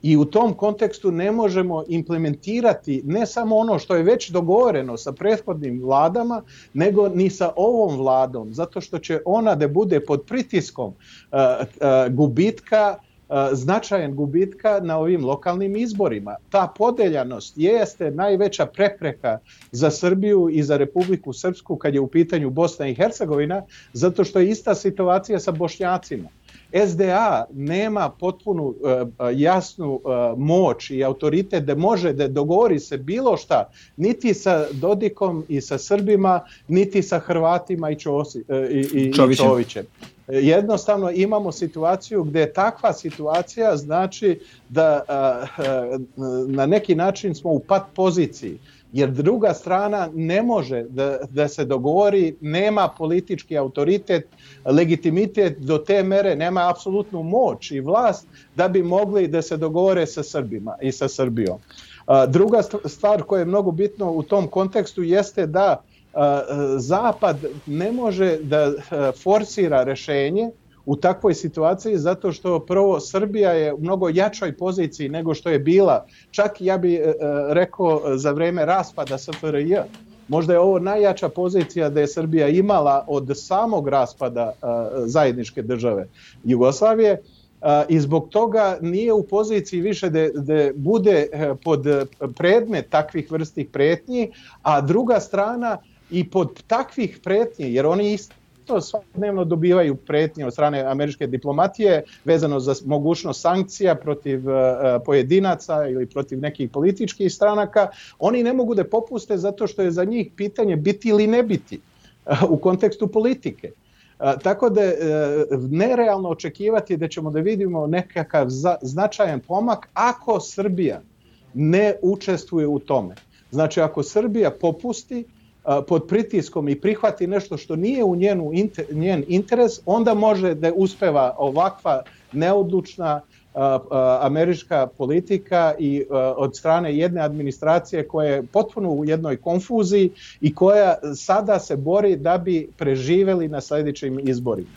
I u tom kontekstu ne možemo implementirati ne samo ono što je već dogovoreno sa prethodnim vladama, nego ni sa ovom vladom, zato što će ona da bude pod pritiskom gubitka, značajan gubitka na ovim lokalnim izborima. Ta podeljanost jeste najveća prepreka za Srbiju i za Republiku Srpsku kad je u pitanju Bosna i Hercegovina, zato što je ista situacija sa Bošnjacima. SDA nema potpunu jasnu moć i autoritet da može da dogovori se bilo šta, niti sa Dodikom i sa Srbima, niti sa Hrvatima i Čovićem. Jednostavno imamo situaciju gdje je takva situacija, znači da na neki način smo u pat poziciji, jer druga strana ne može da se dogovori, nema politički autoritet, legitimitet do te mere, nema apsolutnu moć i vlast da bi mogli da se dogovore sa Srbima i sa Srbijom. Druga stvar koja je mnogo bitna u tom kontekstu jeste da Zapad ne može da forsira rešenje u takvoj situaciji, zato što prvo Srbija je u mnogo jačoj poziciji nego što je bila, čak ja bih rekao za vreme raspada SFRJ. Možda je ovo najjača pozicija da je Srbija imala od samog raspada zajedničke države Jugoslavije, i zbog toga nije u poziciji više da bude pod predmet takvih vrstih pretnji, a druga strana i pod takvih pretnji, jer oni isto svakodnevno dobivaju pretnje od strane američke diplomatije vezano za mogućnost sankcija protiv pojedinaca ili protiv nekih političkih stranaka, oni ne mogu da popuste zato što je za njih pitanje biti ili ne biti u kontekstu politike. Tako da je nerealno očekivati da ćemo da vidimo nekakav značajan pomak ako Srbija ne učestvuje u tome. Znači ako Srbija popusti pod pritiskom i prihvati nešto što nije u njen interes, onda može da uspeva ovakva neodlučna američka politika i od strane jedne administracije koja je potpuno u jednoj konfuziji i koja sada se bori da bi preživeli na sljedećim izborima.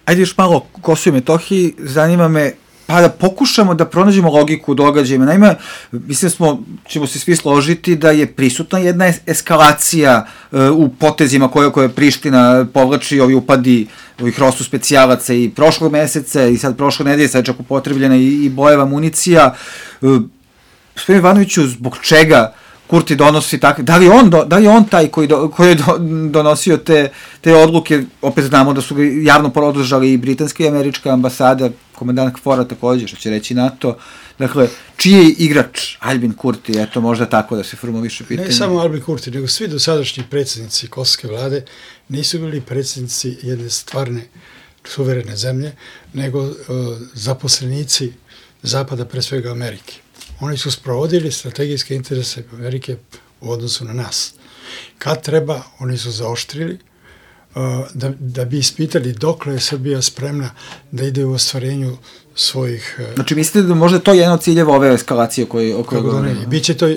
Ajde još malo Kosovo i Metohiji, zanima me pa da pokušamo da pronađemo logiku u događajima. Naime, mislim ćemo se svi složiti da je prisutna jedna eskalacija u potezima koje Priština povlači, ovi upadi ovih Rosu specijalaca i prošlog meseca i sad prošle nedelje, sad čak upotrebljena i bojeva municija. Gospodin Ivanoviću, zbog čega Kurti donosi takve, da li je on taj koji je donosio te odluke, opet znamo da su ga javno podržali i britanska i američka ambasada, komandant KFOR-a također, što će reći NATO. Dakle, čiji je igrač Albin Kurti, eto možda tako da se formuliše pitanje. Ne samo Albin Kurti, nego svi dosadašnji predsjednici kosovske vlade nisu bili predsjednici jedne stvarne suverene zemlje, nego zaposlenici Zapada, pre svega Amerike. Oni su sprovodili strategijske interese Amerike u odnosu na nas. Kad treba, oni su zaoštrili da bi ispitali dokle je Srbija spremna da ide u ostvarenju svojih... Znači mislite da možda to je jedan od ciljeva ove eskalacije o kojoj govorimo? Biće to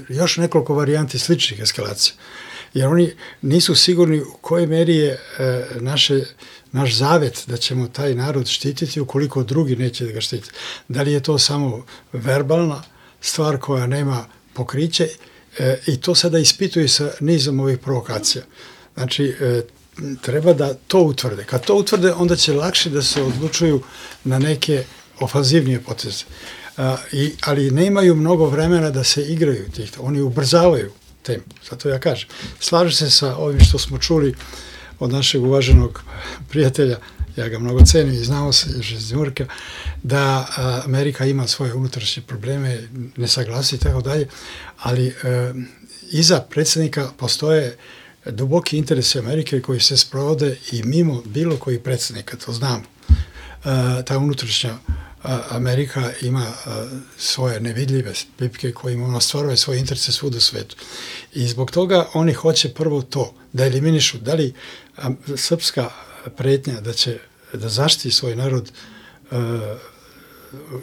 još nekoliko varijanti sličnih eskalacija. Jer oni nisu sigurni u kojoj meri je naš zavet da ćemo taj narod štititi ukoliko drugi neće da ga štiti. Da li je to samo verbalna stvar koja nema pokriće i to sada ispituje sa nizom ovih provokacija. Znači, treba da to utvrde. Kad to utvrde, onda će lakše da se odlučuju na neke ofanzivnije poteze. Ali nemaju mnogo vremena da se igraju tih. Oni ubrzavaju tempo. Zato ja kažem. Slažem se sa ovim što smo čuli od našeg uvaženog prijatelja, ja ga mnogo cenim i znamo se iz Njujorka, da Amerika ima svoje unutrašnje probleme, nesaglasi i tako dalje, ali iza predsjednika postoje duboki interesi Amerike koji se sprovode i mimo bilo koji predsjednika, to znamo. Ta unutrašnja Amerika ima svoje nevidljive pipke kojima ona stvaruje svoje interese svud u svetu. I zbog toga oni hoće prvo to, da eliminišu da li srpska pretnja da zaštiti svoj narod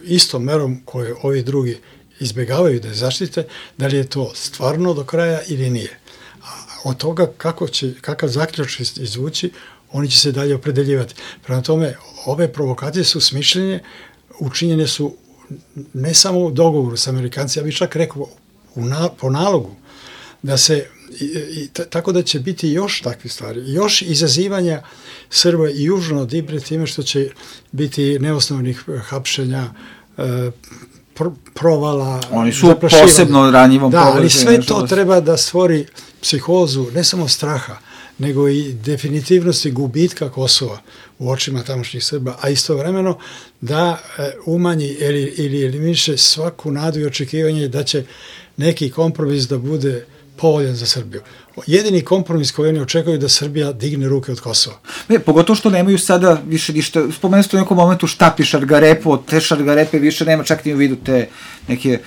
istom merom koje ovi drugi izbjegavaju da je zaštite, da li je to stvarno do kraja ili nije. A od toga kakav zaključak izvući, oni će se dalje opredeljivati. Prema tome, ove provokacije su smišljene, učinjene su ne samo u dogovoru s Amerikancima, ja bih čak rekao po nalogu, da se, tako da će biti još takve stvari, još izazivanja Srba i južno od Ibra time što će biti neosnovnih hapšenja, provala, oni su posebno ranjivom položaju. Da, ali sve to treba da stvori psihozu, ne samo straha, nego i definitivnosti gubitka Kosova u očima tamošnjih Srba, a istovremeno da umanji ili eliminiše svaku nadu i očekivanje da će neki kompromis da bude povoljan za Srbiju. Jedini kompromis koji oni očekuju da Srbija digne ruke od Kosova. Pogotovo što nemaju sada više ništa, spomenuli ste u nekom momentu štapi šargarepu, od te šargarepe više nema čak ni u vidu te neke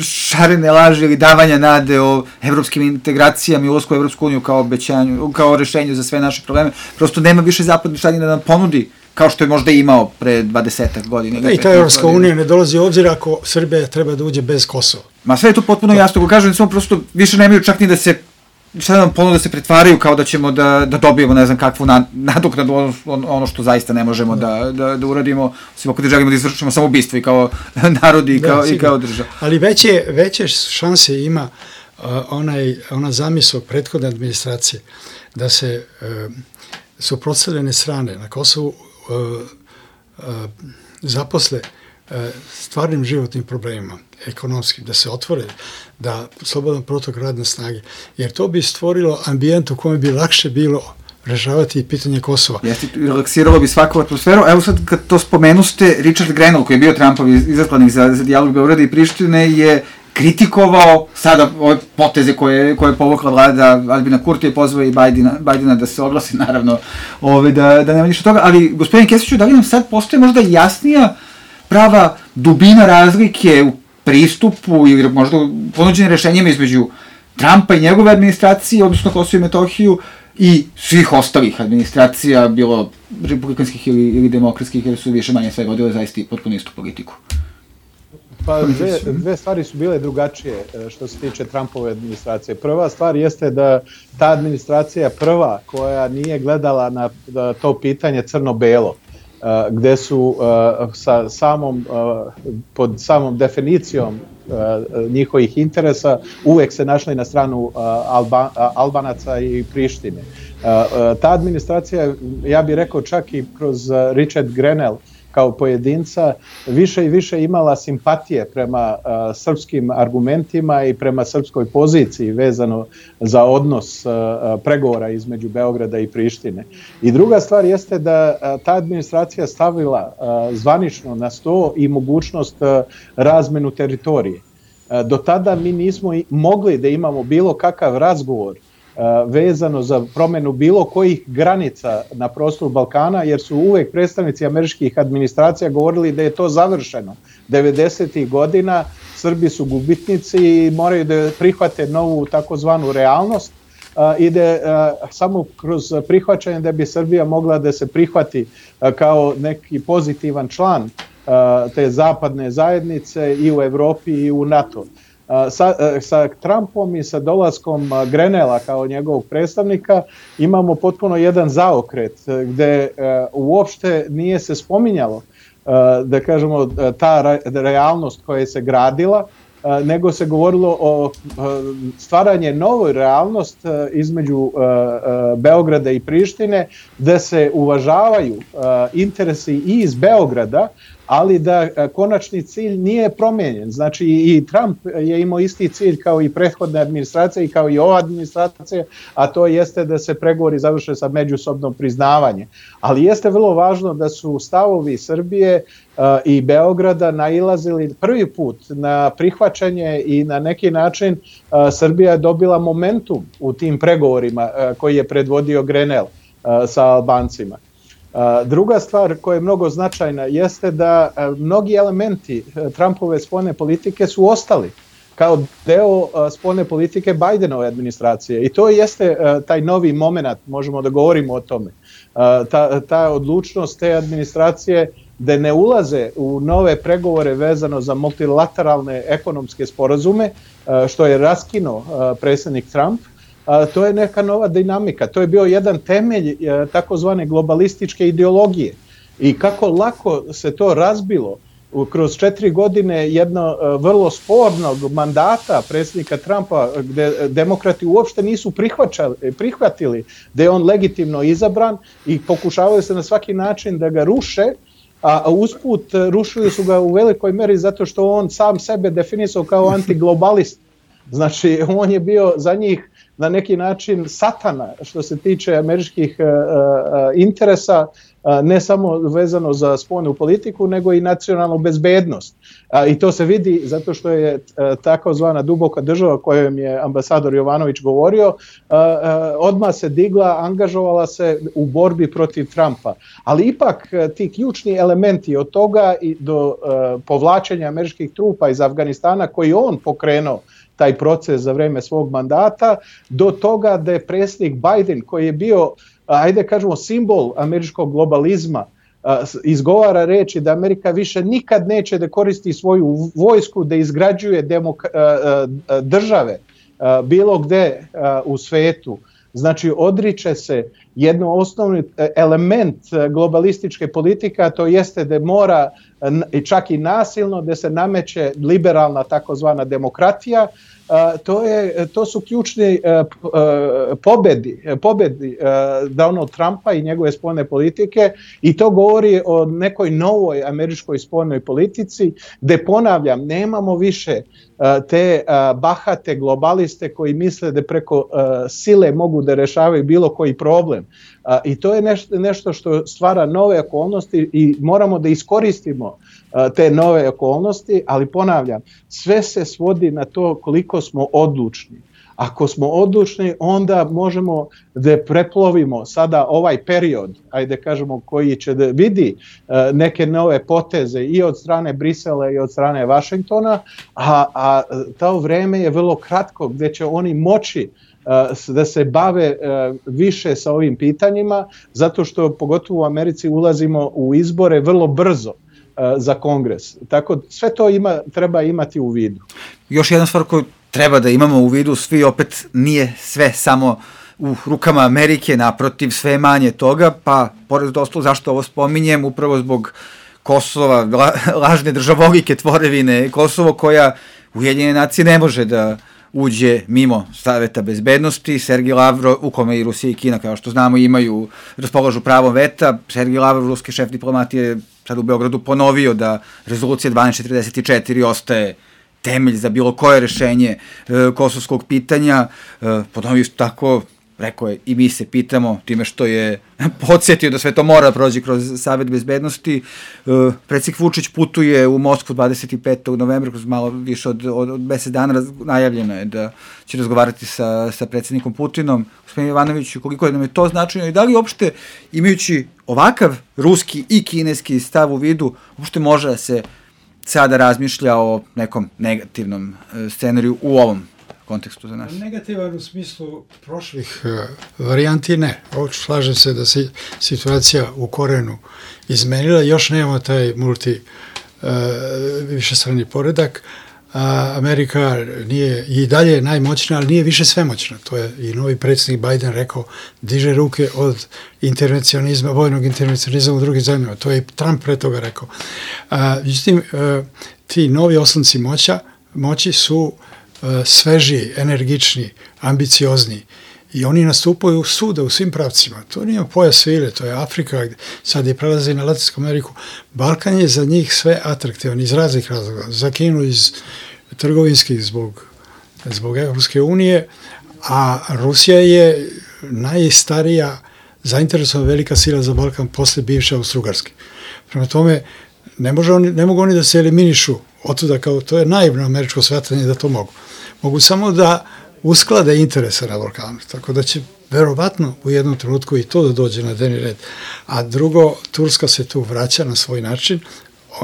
šarene laži ili davanja nade o evropskim integracijama i ulasku u Evropsku uniju kao obećanju, kao rešenju za sve naše probleme. Prosto nema više zapadni šalje da nam ponudi kao što je možda imao pre 20 godina. I ta Evropska unija ne dolazi u obzir ako Srbija treba da uđe bez Kosova. Ma sve je to potpuno jasno, ko kažem, samo prosto više nemaju čak ni da se, šta nam ponude da se pretvaraju kao da ćemo da dobijemo ne znam kakvu nadoknadu ono što zaista ne možemo da uradimo, osim ako da želimo da izvršimo samoubistvo i kao narodi i kao država. Ali veće šanse ima ona zamisao prethodne administracije da se suprotstavljene strane na Kosovu zaposle stvarnim životnim problemima, ekonomskim, da se otvore, da slobodan protok radne snage, jer to bi stvorilo ambijent u kojem bi lakše bilo rešavati pitanje Kosova. Jeste, relaksiralo bi svaku atmosferu. Evo sad kad to spomenuste, Richard Grenell, koji je bio Trumpov izaslanik za dijalog Beograda i Prištine, je kritikovao sada ove poteze koje je povukla vlada Albina Kurtija i pozvao i Bajdena da se oglasi, naravno, da nema ništa toga, ali gospodin Kesiću, da li nam sad postoje možda jasnija prava dubina razlike u pristupu ili možda ponuđenim rešenjima između Trumpa i njegove administracije, odnosno Kosovo i Metohiju, i svih ostalih administracija, bilo republikanskih ili demokratskih, jer su više manje sve vodile zaista i potpuno istu politiku? Pa dve stvari su bile drugačije što se tiče Trumpove administracije. Prva stvar jeste da ta administracija prva koja nije gledala na to pitanje crno-belo, gde su pod samom definicijom njihovih interesa uvek se našli na stranu Albanaca i Prištine. Ta administracija, ja bih rekao čak i kroz Richard Grenell kao pojedinca, više i više imala simpatije prema srpskim argumentima i prema srpskoj poziciji vezano za odnos pregovora između Beograda i Prištine. I druga stvar jeste da ta administracija stavila zvanično na sto i mogućnost razmenu teritorije. Do tada mi nismo mogli da imamo bilo kakav razgovor vezano za promenu bilo kojih granica na prostoru Balkana, jer su uvek predstavnici američkih administracija govorili da je to završeno. 90. godina Srbi su gubitnici i moraju da prihvate novu takozvanu realnost i da samo kroz prihvaćanje da bi Srbija mogla da se prihvati kao neki pozitivan član te zapadne zajednice i u Evropi i u NATO. Sa Trumpom i sa dolaskom Grenella kao njegovog predstavnika imamo potpuno jedan zaokret gde uopšte nije se spominjalo da kažemo ta realnost koja se gradila, nego se govorilo o stvaranje novoj realnost između Beograda i Prištine, da se uvažavaju interesi i iz Beograda, ali da konačni cilj nije promenjen. Znači i Trump je imao isti cilj kao i prethodna administracija i kao i ova administracija, a to jeste da se pregovori završe sa međusobnom priznavanjem. Ali jeste vrlo važno da su stavovi Srbije i Beograda nailazili prvi put na prihvaćanje i na neki način Srbija je dobila momentum u tim pregovorima koji je predvodio Grenell sa Albancima. Druga stvar koja je mnogo značajna jeste da mnogi elementi Trumpove spoljne politike su ostali kao deo spoljne politike Bajdenove administracije i to jeste taj novi moment, možemo da govorimo o tome. Ta odlučnost te administracije da ne ulaze u nove pregovore vezano za multilateralne ekonomske sporazume, što je raskinuo predsjednik Trump, to je neka nova dinamika. To je bio jedan temelj takozvane globalističke ideologije. I kako lako se to razbilo kroz 4 godine jedno vrlo spornog mandata predsjednika Trumpa, gde demokrati uopšte nisu prihvatili da je on legitimno izabran i pokušavaju se na svaki način da ga ruše, a usput rušili su ga u velikoj meri zato što on sam sebe definisao kao antiglobalist. Znači, on je bio za njih na neki način satana što se tiče američkih interesa, ne samo vezano za spoljnu politiku, nego i nacionalnu bezbednost. I to se vidi zato što je takozvana duboka država kojom je ambasador Jovanović govorio, odmah se digla, angažovala se u borbi protiv Trumpa. Ali ipak ti ključni elementi od toga i do povlačenja američkih trupa iz Afganistana koji on pokrenuo taj proces za vreme svog mandata, do toga da je predsjednik Biden koji je bio, ajde kažemo, simbol američkog globalizma, izgovara reči da Amerika više nikad neće da koristi svoju vojsku da izgrađuje države bilo gde u svetu. Znači, odriče se jedno osnovni element globalističke politike, a to jeste da mora čak i nasilno da se nameće liberalna takozvana demokratija. To su ključni pobedi Donald Trumpa i njegove spoljne politike i to govori o nekoj novoj američkoj spoljnoj politici gde, ponavljam, nemamo više te bahate globaliste koji misle da preko sile mogu da rešavaju bilo koji problem. I to je nešto što stvara nove okolnosti i moramo da iskoristimo te nove okolnosti, ali ponavljam, sve se svodi na to koliko smo odlučni. Ako smo odlučni, onda možemo da preplovimo sada ovaj period, ajde kažemo, koji će da vidi neke nove poteze i od strane Brisela i od strane Vašingtona, a to vreme je vrlo kratko gde će oni moći da se bave više sa ovim pitanjima, zato što pogotovo u Americi ulazimo u izbore vrlo brzo za Kongres. Tako sve to treba imati u vidu. Još jedna stvar koju treba da imamo u vidu, svi opet nije sve samo u rukama Amerike, naprotiv sve manje toga, pa pored ostalog zašto ovo spominjem, upravo zbog Kosova, lažne državolike tvorevine Kosovo koja Ujedinjene nacije ne može da uđe mimo Saveta bezbednosti. Sergij Lavrov, u kome i Rusija i Kina, kao što znamo, raspolažu pravom veta. Sergij Lavrov, ruski šef diplomatije, sad u Beogradu ponovio da rezolucija 1244 ostaje temelj za bilo koje rešenje kosovskog pitanja. Ponovio isto tako, rekao je, i mi se pitamo, time što je podsjetio da sve to mora prođe kroz Savet bezbednosti. Predsjednik Vučić putuje u Moskvu 25. novembra, kroz malo više od mesec dana, najavljeno je da će razgovarati sa predsjednikom Putinom. Gospodin Jovanoviću, koliko nam je to značajno i da li uopšte, imajući ovakav ruski i kineski stav u vidu, uopšte može da se sada razmišlja o nekom negativnom scenariju u ovom kontekstu za nas? Negativan u smislu prošlih varijanti ne. Slažem se da se situacija u korenu izmenila, još nemamo taj višestrani poredak. Amerika nije i dalje najmoćna, ali nije više svemoćna. To je i novi predsjednik Biden rekao, diže ruke od intervencionizma, vojnog intervencionizma u drugim zemljama. To je i Trump pre toga rekao. Međutim, ti novi oslonci moći su svežiji, energični, ambiciozni i oni nastupaju svuda u svim pravcima. To nije pojas svile, to je Afrika, sad je prelazi na Latinsku Ameriku. Balkan je za njih sve atraktivan iz raznih razloga. Za Kinu iz trgovinskih zbog Evropske unije, a Rusija je najstarija zainteresovana velika sila za Balkan posle bivše Austro-Ugarske. Prema tome, ne mogu oni da se eliminišu otuda, kao to je naivno američko shvatanje da to mogu. Mogu samo da usklade interese na Balkanu, tako da će verovatno u jednom trenutku i to da dođe na dnevni red. A drugo, Turska se tu vraća na svoj način,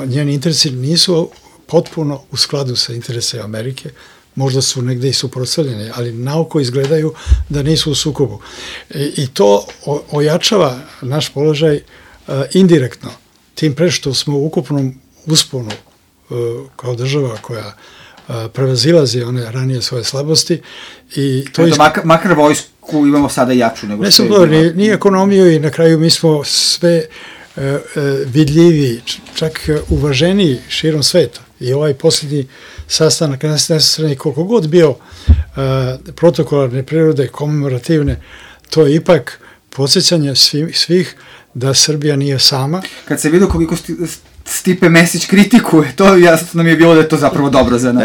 njeni interesi nisu potpuno u skladu sa interese Amerike, možda su negde i suprotstavljeni, ali naoko izgledaju da nisu u sukobu. I to ojačava naš položaj indirektno, tim pre što smo u ukupnom usponu kao država koja prevazilazi one ranije svoje slabosti. I to makar vojsku imamo sada jaču nego što je. Ni ekonomiju i na kraju mi smo sve vidljivi, čak uvaženiji širom sveta. I ovaj posljednji sastanak nesvrstanih koliko god bio protokolarne prirode, komemorativne, to je ipak podsjećanje svih da Srbija nije sama. Kad se vidio koliko Stipe Mesić kritikuje, to jasno nam je bilo da je to zapravo dobro za nas.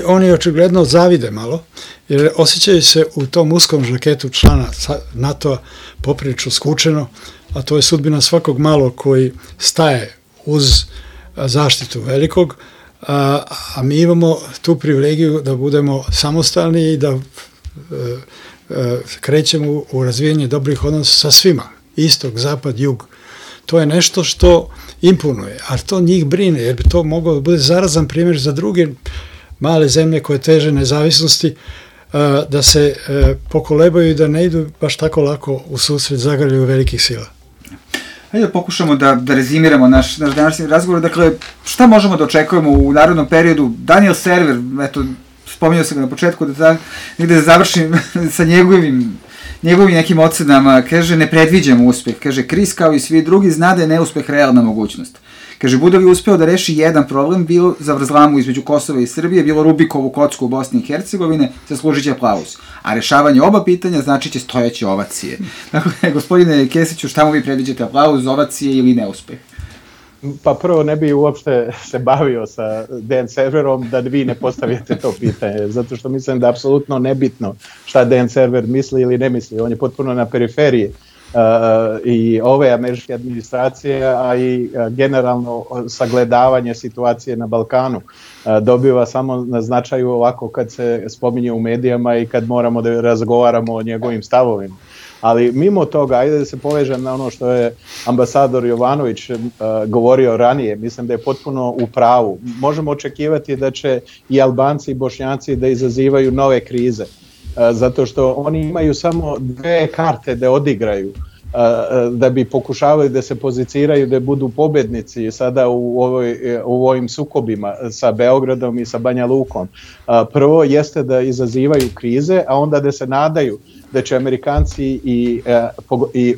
Oni očigledno zavide malo, jer osjećaju se u tom uskom žaketu člana NATO-a poprilično skučeno, a to je sudbina svakog malog koji staje uz zaštitu velikog, a mi imamo tu privilegiju da budemo samostalni i da krećemo u razvijanje dobrih odnosa sa svima, istok, zapad, jug. To je nešto što imponuje, a to njih brine, jer bi to moglo da bude zarazan primjer za druge male zemlje koje teže nezavisnosti, da se pokolebaju i da ne idu baš tako lako u susret zagrljaju velikih sila. Hajde da pokušamo da rezimiramo naš današnji razgovor. Dakle, šta možemo da očekujemo u narednom periodu? Daniel Server, eto, spominjao sam ga na početku, da negde završim sa njegovim nekim ocenama, kaže, ne predviđamo uspeh. Kaže, Kris kao i svi drugi zna da je neuspeh realna mogućnost. Kaže, bude li uspeo da reši jedan problem, bilo zavrzlamu između Kosova i Srbije, bilo Rubikovu kocku u Bosni i Hercegovine, zaslužit će aplauz. A rešavanje oba pitanja znači će stojeće ovacije. Dakle, gospodine Kesiću, šta mu vi predviđate, aplauz, ovacije ili neuspeh? Pa prvo ne bi uopšte se bavio sa Dan Serverom da vi ne postavite to pitanje, zato što mislim da je apsolutno nebitno šta Dan Server misli ili ne misli, on je potpuno na periferiji i ove američke administracije, a i generalno sagledavanje situacije na Balkanu dobiva samo na značaju ovako kad se spominje u medijama i kad moramo da razgovaramo o njegovim stavovima. Ali mimo toga, ajde da se povežem na ono što je ambasador Jovanović govorio ranije, mislim da je potpuno u pravu. Možemo očekivati da će i Albanci i Bošnjaci da izazivaju nove krize, zato što oni imaju samo dve karte da odigraju, da bi pokušavali da se poziciraju, da budu pobednici sada u ovim sukobima sa Beogradom i sa Banja Lukom. Prvo jeste da izazivaju krize, a onda da se nadaju da će Amerikanci i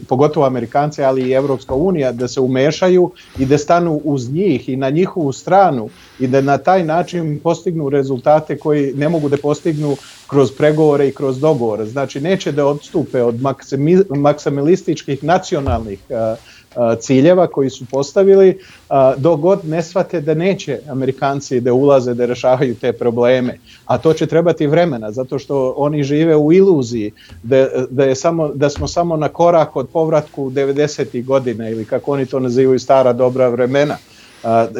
pogotovo Amerikanci, ali i Evropska unija da se umešaju i da stanu uz njih i na njihovu stranu i da na taj način postignu rezultate koji ne mogu da postignu kroz pregovore i kroz dogovore. Znači neće da odstupe od maksimalističkih nacionalnih ciljeva koji su postavili, dok god ne shvate da neće Amerikanci da ulaze da rešavaju te probleme, a to će trebati vremena, zato što oni žive u iluziji da smo samo na korak od povratku 90. godina ili kako oni to nazivaju stara dobra vremena.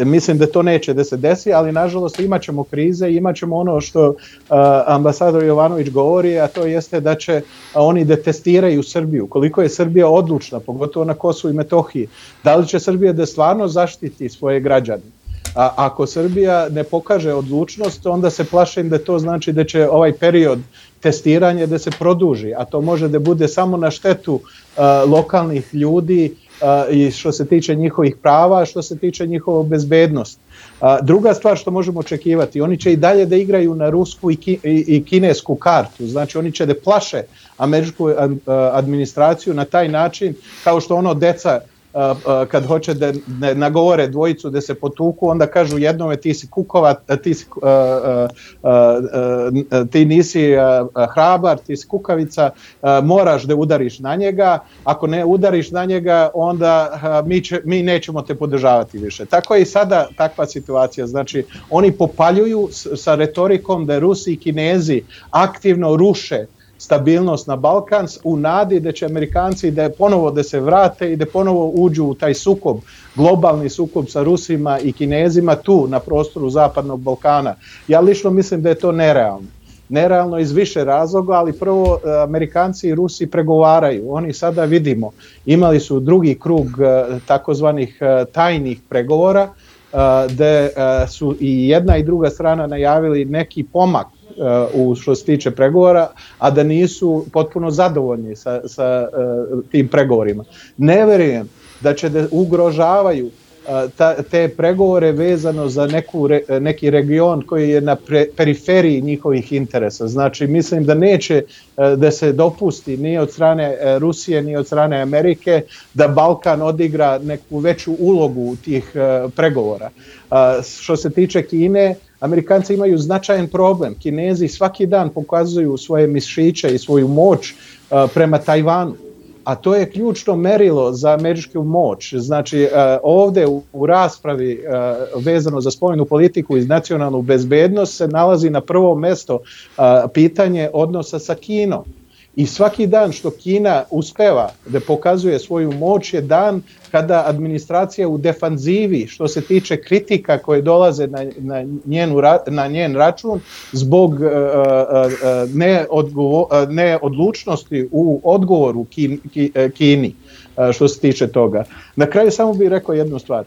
Mislim da to neće da se desi, ali nažalost imat ćemo krize, imat ćemo ono što ambasador Jovanović govori, a to jeste da će oni da testiraju Srbiju, koliko je Srbija odlučna, pogotovo na Kosovu i Metohiji, da li će Srbija da stvarno zaštiti svoje građane. Ako Srbija ne pokaže odlučnost, onda se plašim da to znači da će ovaj period testiranja da se produži, a to može da bude samo na štetu lokalnih ljudi i što se tiče njihovih prava, što se tiče njihove bezbednosti. Druga stvar što možemo očekivati, oni će i dalje da igraju na rusku i kinesku kartu, znači oni će da plaše američku administraciju na taj način kao što ono deca kad hoće da nagovore dvojicu da se potuku, onda kažu jednome ti si kukova, ti nisi hrabar, ti si kukavica, moraš da udariš na njega, ako ne udariš na njega onda mi nećemo te podržavati više. Tako je i sada takva situacija, znači oni popaljuju sa retorikom da Rusi i Kinezi aktivno ruše stabilnost na Balkan u nadi da će Amerikanci da ponovo da se vrate i da ponovo uđu u taj sukob, globalni sukob sa Rusima i Kinezima tu na prostoru Zapadnog Balkana. Ja lično mislim da je to nerealno. Nerealno iz više razloga, ali prvo Amerikanci i Rusi pregovaraju. Oni sada vidimo, imali su drugi krug takozvanih tajnih pregovora gde su i jedna i druga strana najavili neki pomak u što se tiče pregovora, a da nisu potpuno zadovoljni sa tim pregovorima. Ne verujem da će da ugrožavaju te pregovore vezano za neki region koji je na periferiji njihovih interesa. Znači, mislim da neće da se dopusti ni od strane Rusije, ni od strane Amerike da Balkan odigra neku veću ulogu u tih pregovora. Što se tiče Kine, Amerikanci imaju značajan problem. Kinezi svaki dan pokazuju svoje mišiće i svoju moć prema Tajvanu. A to je ključno merilo za američku moć. Znači, ovde u raspravi vezano za spoljnu politiku i nacionalnu bezbednost se nalazi na prvo mesto pitanje odnosa sa Kinom. I svaki dan što Kina uspeva da pokazuje svoju moć je dan kada administracija u defanzivi što se tiče kritika koje dolaze na njen račun zbog neodlučnosti u odgovoru Kini što se tiče toga. Na kraju samo bih rekao jednu stvar.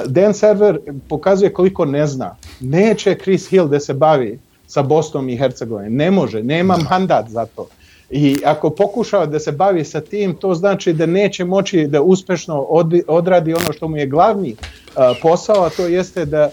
Dan Server pokazuje koliko ne zna. Neće Chris Hill da se bavi sa Bosnom i Hercegovinom. Ne može, nema mandat za to. I ako pokušava da se bavi sa tim, to znači da neće moći da uspešno odradi ono što mu je glavni posao, a to jeste da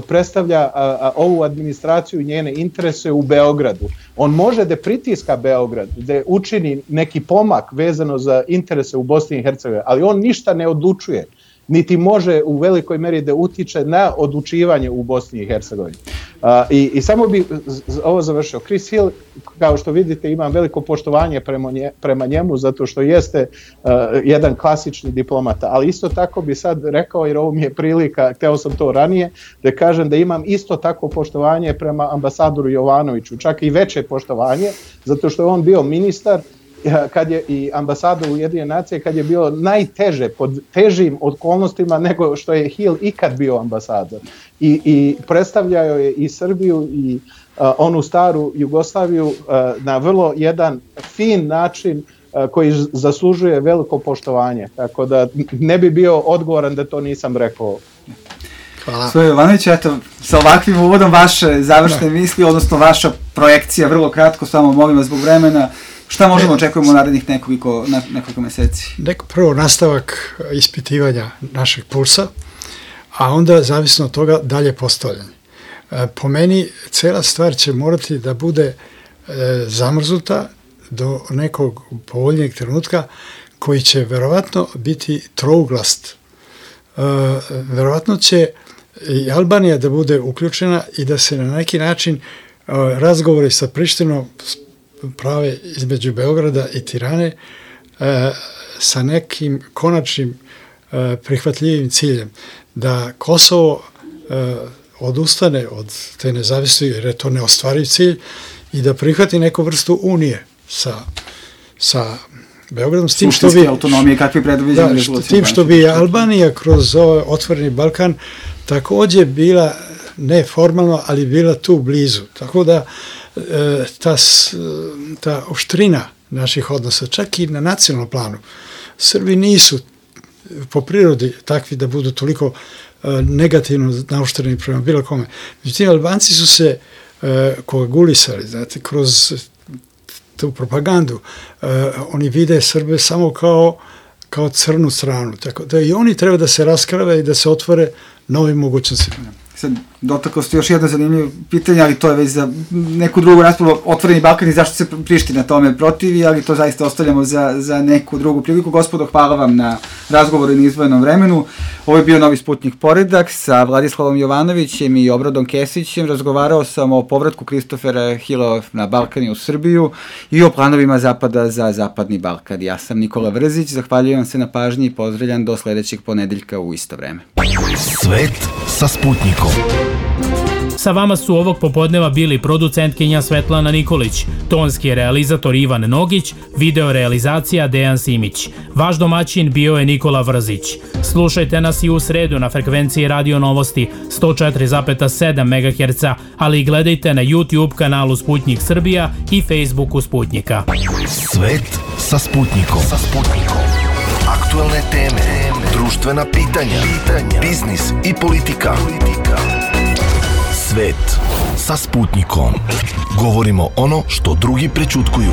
predstavlja ovu administraciju i njene interese u Beogradu. On može da pritiska Beograd, da učini neki pomak vezano za interese u Bosni i Hercegovini, ali on ništa ne odlučuje, niti može u velikoj meri da utiče na odlučivanje u Bosni i Hercegovini. I samo bi ovo završio. Chris Hill, kao što vidite, imam veliko poštovanje prema njemu, zato što jeste jedan klasični diplomata, ali isto tako bi sad rekao, jer ovo mi je prilika, hteo sam to ranije, da kažem da imam isto tako poštovanje prema ambasadoru Jovanoviću, čak i veće poštovanje, zato što je on bio ministar kad je i ambasador Ujedinjene nacije, kad je bio najteže, pod težim okolnostima nego što je Hill ikad bio ambasador. I predstavljao je i Srbiju i onu staru Jugoslaviju na vrlo jedan fin način koji zaslužuje veliko poštovanje. Tako da ne bi bio odgovoran da to nisam rekao. Hvala. Svoje Jovanović, eto, sa ovakvim uvodom vaše završne misli, odnosno vaša projekcija, vrlo kratko, samo molim vas zbog vremena, šta možemo očekujemo u narednih nekoliko meseci? Prvo nastavak ispitivanja našeg pulsa, a onda zavisno od toga dalje postavljanje. Po meni cela stvar će morati da bude zamrznuta do nekog povoljnijeg trenutka koji će verovatno biti trouglast. Verovatno će i Albanija da bude uključena i da se na neki način razgovori sa Prištinom prave između Beograda i Tirane sa nekim konačnim prihvatljivim ciljem. Da Kosovo odustane od te nezavisnosti, jer je to neostvariv cilj, i da prihvati neku vrstu unije sa Beogradom. S tim što bi autonomije, kakvi predviđeni tim što bi Albanija kroz ovaj otvoreni Balkan takođe bila, ne formalno, ali bila tu blizu. Tako da ta oštrina naših odnosa, čak i na nacionalnom planu, Srbi nisu po prirodi takvi da budu toliko negativno naoštreni prema bilo kome. Međutim, Albanci su se koagulisali, znate, kroz tu propagandu. Oni vide Srbe samo kao crnu stranu. Tako da i oni treba da se raskrave i da se otvore novim mogućnostima. Sad, dotaklo ste još jedno zanimljivo pitanje, ali to je već za neku drugu raspravu, otvoreni Balkan i zašto se Priština tome protivi, ali to zaista ostavljamo za neku drugu priliku. Gospodo, hvala vam na razgovoru i na izdvojenom vremenu. Ovo je bio Novi Sputnik Poredak sa Vladislavom Jovanovićem i Obradom Kesićem. Razgovarao sam o povratku Kristofera Hilla na Balkan i u Srbiju i o planovima Zapada za Zapadni Balkan. Ja sam Nikola Vrzić, zahvaljujem se na pažnji i pozdravljam do sledećeg ponedeljka u isto vreme. Svet sa Sputnikom. Sa vama su ovog popodneva bili producentkinja Svetlana Nikolić, tonski realizator Ivan Nogić, video realizacija Dejan Simić. Vaš domaćin bio je Nikola Vrzić. Slušajte nas i u sredu na frekvenciji Radio Novosti 104,7 MHz, ali i gledajte na YouTube kanalu Sputnik Srbija i Facebooku Sputnika. Svet sa Sputnikom. Aktualne teme, društvena pitanja, biznis i politika. Svet sa Sputnikom. Govorimo ono što drugi prećutkuju.